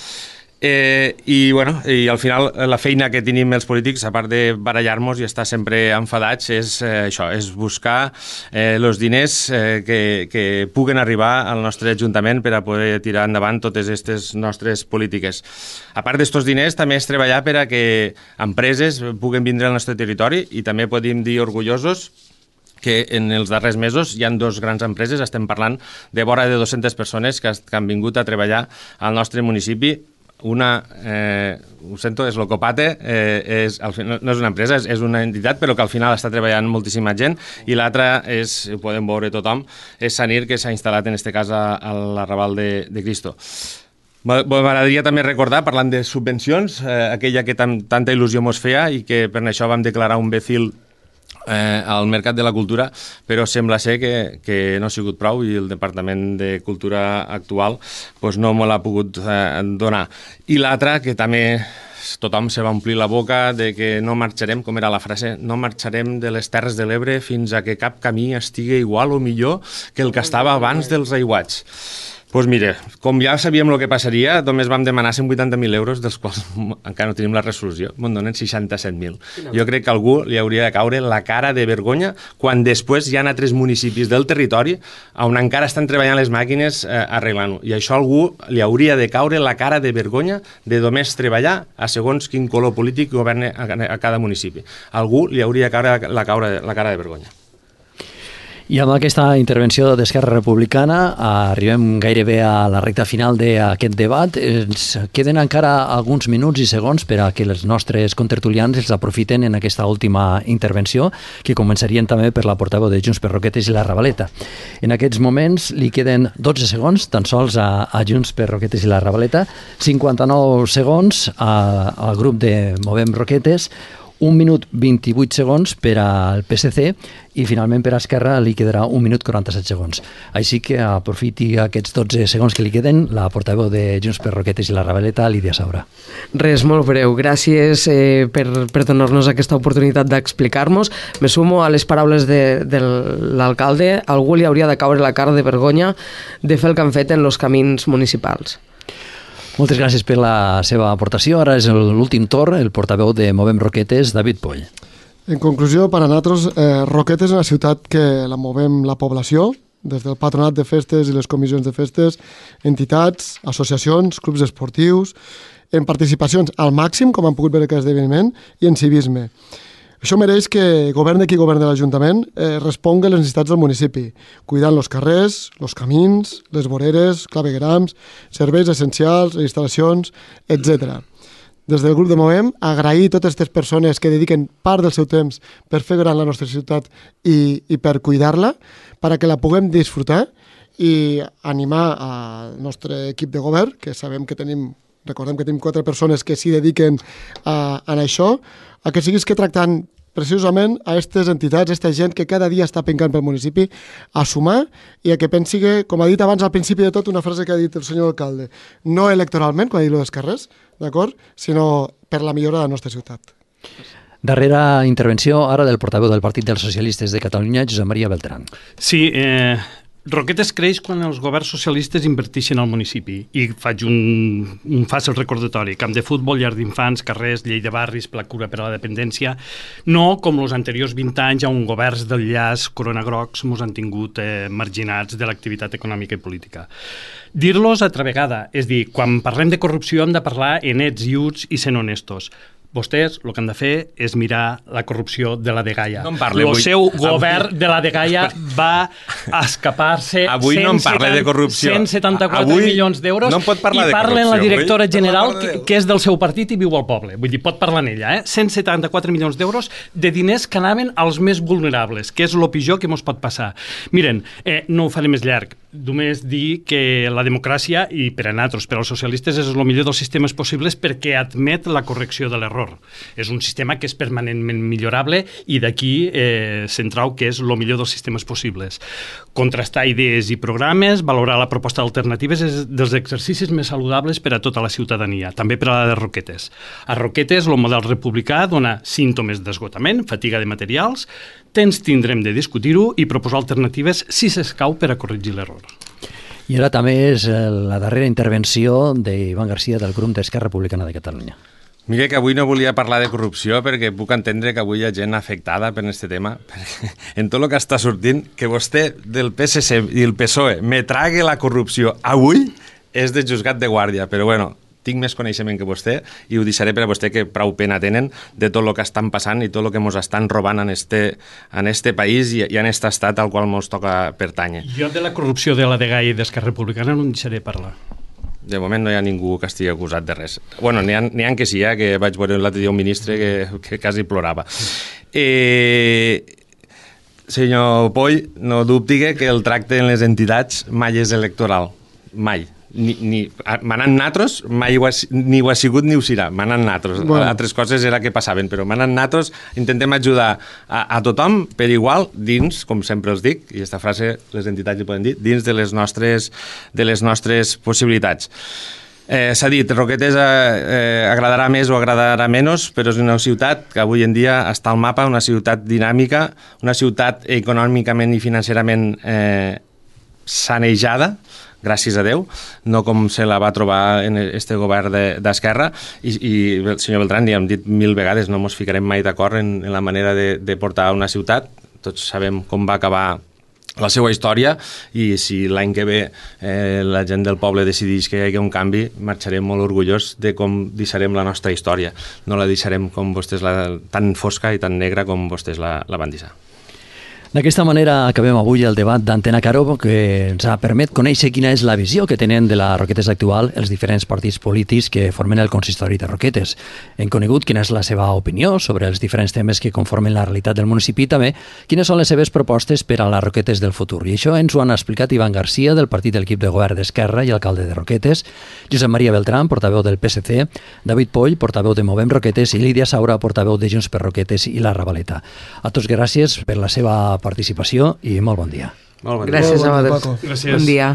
I al final la feina que tenim els polítics, a part de barallar-nos i estar sempre enfadats, és això, és buscar els diners que puguen arribar al nostre Ajuntament per a poder tirar endavant totes aquestes nostres polítiques. A part d'estos diners, també és treballar per a que empreses puguen vindre al nostre territori i també podem dir orgullosos que en els darrers mesos hi ha 2 grans empreses, estem parlant de vora de 200 persones que han vingut a treballar al nostre municipi. Una, ho sento, és l'Ocopate, no és una empresa, és una entitat, però que al final està treballant moltíssima gent, i l'altra és, ho podem veure tothom, és Sanir, que s'ha instal·lat en este cas a l'Arrabal de Cristo. M'agradaria també recordar, parlant de subvencions, aquella que tanta il·lusió mos feia i que per això vam declarar un BECIL al Mercat de la Cultura, però sembla ser que no ha sigut prou i el Departament de Cultura actual no me l'ha pogut donar. I l'altra, que també tothom se va omplir la boca de que no marxarem, com era la frase, no marxarem de les Terres de l'Ebre fins a que cap camí estigui igual o millor que el que estava abans dels aiguats. Doncs mira, com ja sabíem el que passaria, només vam demanar 180.000 euros, dels quals encara no tenim la resolució, me'n donen 67.000. Jo crec que a algú li hauria de caure la cara de vergonya quan després hi ha altres municipis del territori on encara estan treballant les màquines arreglant-ho. I això a algú li hauria de caure la cara de vergonya de només treballar a segons quin color polític governa a cada municipi. A algú li hauria de caure la cara de vergonya. I amb aquesta intervenció d'Esquerra Republicana arribem gairebé a la recta final d'aquest debat. Ens queden encara alguns minuts i segons per a que els nostres contertulians els aprofiten en aquesta última intervenció, que començarien també per la portaveu de Junts per Roquetes i la Ravaleta. En aquests moments li queden 12 segons tan sols a Junts per Roquetes i la Ravaleta, 59 segons al grup de Movem Roquetes, 1 minut 28 segons per al PSC i finalment per a Esquerra li quedarà 1 minut 47 segons. Així que aprofiti aquests 12 segons que li queden la portaveu de Junts per Roquetes i la Ravaleta, Lídia Saura. Res, molt breu. Gràcies per donar-nos aquesta oportunitat d'explicar-nos. Me sumo a les paraules de l'alcalde. Algú li hauria de caure la cara de vergonya de fer el que han fet en els camins municipals. Moltes gràcies per la seva aportació. Ara és l'últim torn, el portaveu de Movem Roquetes, David Poll. En conclusió, per a nosaltres, Roquetes és una ciutat que la movem la població, des del patronat de festes i les comissions de festes, entitats, associacions, clubs esportius, en participacions al màxim, com han pogut veure aquest esdeveniment, i en civisme. Això mereix que governe qui governi l'Ajuntament respongui a les necessitats del municipi, cuidant els carrers, els camins, les voreres, claveguerams, serveis essencials, instal·lacions, etc. Des del grup de Movem, agrair a totes aquestes persones que dediquen part del seu temps per fer gran la nostra ciutat i per cuidar-la, perquè la puguem disfrutar, i animar al nostre equip de govern, que sabem que recordem que tenim 4 persones que s'hi dediquen a això, a que siguis que tractant precisament a aquestes entitats, a aquesta gent que cada dia està pencant pel municipi, a sumar i a que pensi que, com ha dit abans al principi de tot, una frase que ha dit el senyor alcalde, no electoralment, quan ha dit lo dels carrers, d'acord, sinó per la millora de la nostra ciutat. Darrera intervenció ara del portaveu del Partit dels Socialistes de Catalunya, Josep Maria Beltrán. Sí, Roquetes creix quan els governs socialistes inverteixen al municipi, i faig un fàcil recordatori: camp de futbol, llar d'infants, carrers, llei de barris, pla cura per a la dependència, no com els anteriors 20 anys on governs del llaç Corona Grocs mos han tingut marginats de l'activitat econòmica i política. Dir-los altra vegada, és dir, quan parlem de corrupció hem de parlar en ets i uts i sent honestos. Vostès el que han de fer és mirar la corrupció de la Dgaia. No em parle, el seu govern de la Dgaia va escapar-se avui no em parle de corrupció. 174 milions d'euros no pot parlar i de parla en la directora avui general que és del seu partit i viu al poble. Vull dir, pot parlar en ella. 174 milions d'euros de diners que anaven als més vulnerables, que és el pitjor que ens pot passar. Miren, no ho faré més llarg. Només dir que la democràcia, i per a nosaltres, per als socialistes, és el millor dels sistemes possibles perquè admet la correcció de l'error. És un sistema que és permanentment millorable i d'aquí centrau que és el millor dels sistemes possibles. Contrastar idees i programes, valorar la proposta d'alternatives és dels exercicis més saludables per a tota la ciutadania, també per a la de Roquetes. A Roquetes el model republicà dona símptomes d'esgotament, fatiga de materials, temps tindrem de discutir-ho i proposar alternatives si s'escau per a corregir l'error. I ara també és la darrera intervenció d'Ivan Garcia del grup d'Esquerra Republicana de Catalunya. Mira que avui no volia parlar de corrupció perquè puc entendre que avui hi ha gent afectada per aquest tema, perquè en tot el que està sortint, que vostè del PSC i el PSOE me trague la corrupció avui és de juzgat de guàrdia, però bueno, tinc més coneixement que vostè i ho deixaré per a vostè que prou pena tenen de tot el que estan passant i tot el que ens estan robant en este país i en aquest estat al qual ens toca pertànyer. Jo de la corrupció de la DGA i d'Esquerra Republicana no en deixaré parlar. De moment no hi ha ningú que estigui acusat de res. Bueno, n'hi ha que sí, que vaig veure l'altre dia un ministre que quasi plorava. Senyor Poll, no dubti que el tracte en les entitats mai és electoral. Mai. Manant natros mai ni ho ha sigut ni ho serà. Manant natros. Bueno. Altres coses era que passaven, però manant natros intentem ajudar a tothom per igual dins, com sempre els dic, i aquesta frase les entitats hi poden dir, dins de les nostres possibilitats. S'ha dit, Roquetes agradarà més o agradarà menys, però és una ciutat que avui en dia està al mapa, una ciutat dinàmica, una ciutat econòmicament i financerament sanejada, gràcies a Déu, no com se la va trobar en este govern d'Esquerra, i el senyor Beltrán, ja hem dit 1000 vegades, no ens ficarem mai d'acord en la manera de portar una ciutat, tots sabem com va acabar la seva història, i si l'any que ve la gent del poble decideix que hi hagi un canvi, marxarem molt orgullós de com deixarem la nostra història, no la deixarem com vostès tan fosca i tan negra com vostès la van deixar. D'aquesta manera acabem avui el debat d'Antena Caro, que ens ha permet conèixer quina és la visió que tenen de la Roquetes actual els diferents partits polítics que formen el consistori de Roquetes. Hem conegut quina és la seva opinió sobre els diferents temes que conformen la realitat del municipi i també quines són les seves propostes per a les Roquetes del futur. I això ens ho han explicat Ivan Garcia, del partit de l'equip de govern d'Esquerra i alcalde de Roquetes, Josep Maria Beltrán, portaveu del PSC, David Poll, portaveu de Movem Roquetes, i Lídia Saura, portaveu de Junts per Roquetes i la Ravaleta. A tots gràcies per la seva participació i molt bon dia. Molt bon dia. Gràcies a vosaltres. Gràcies. Bon dia.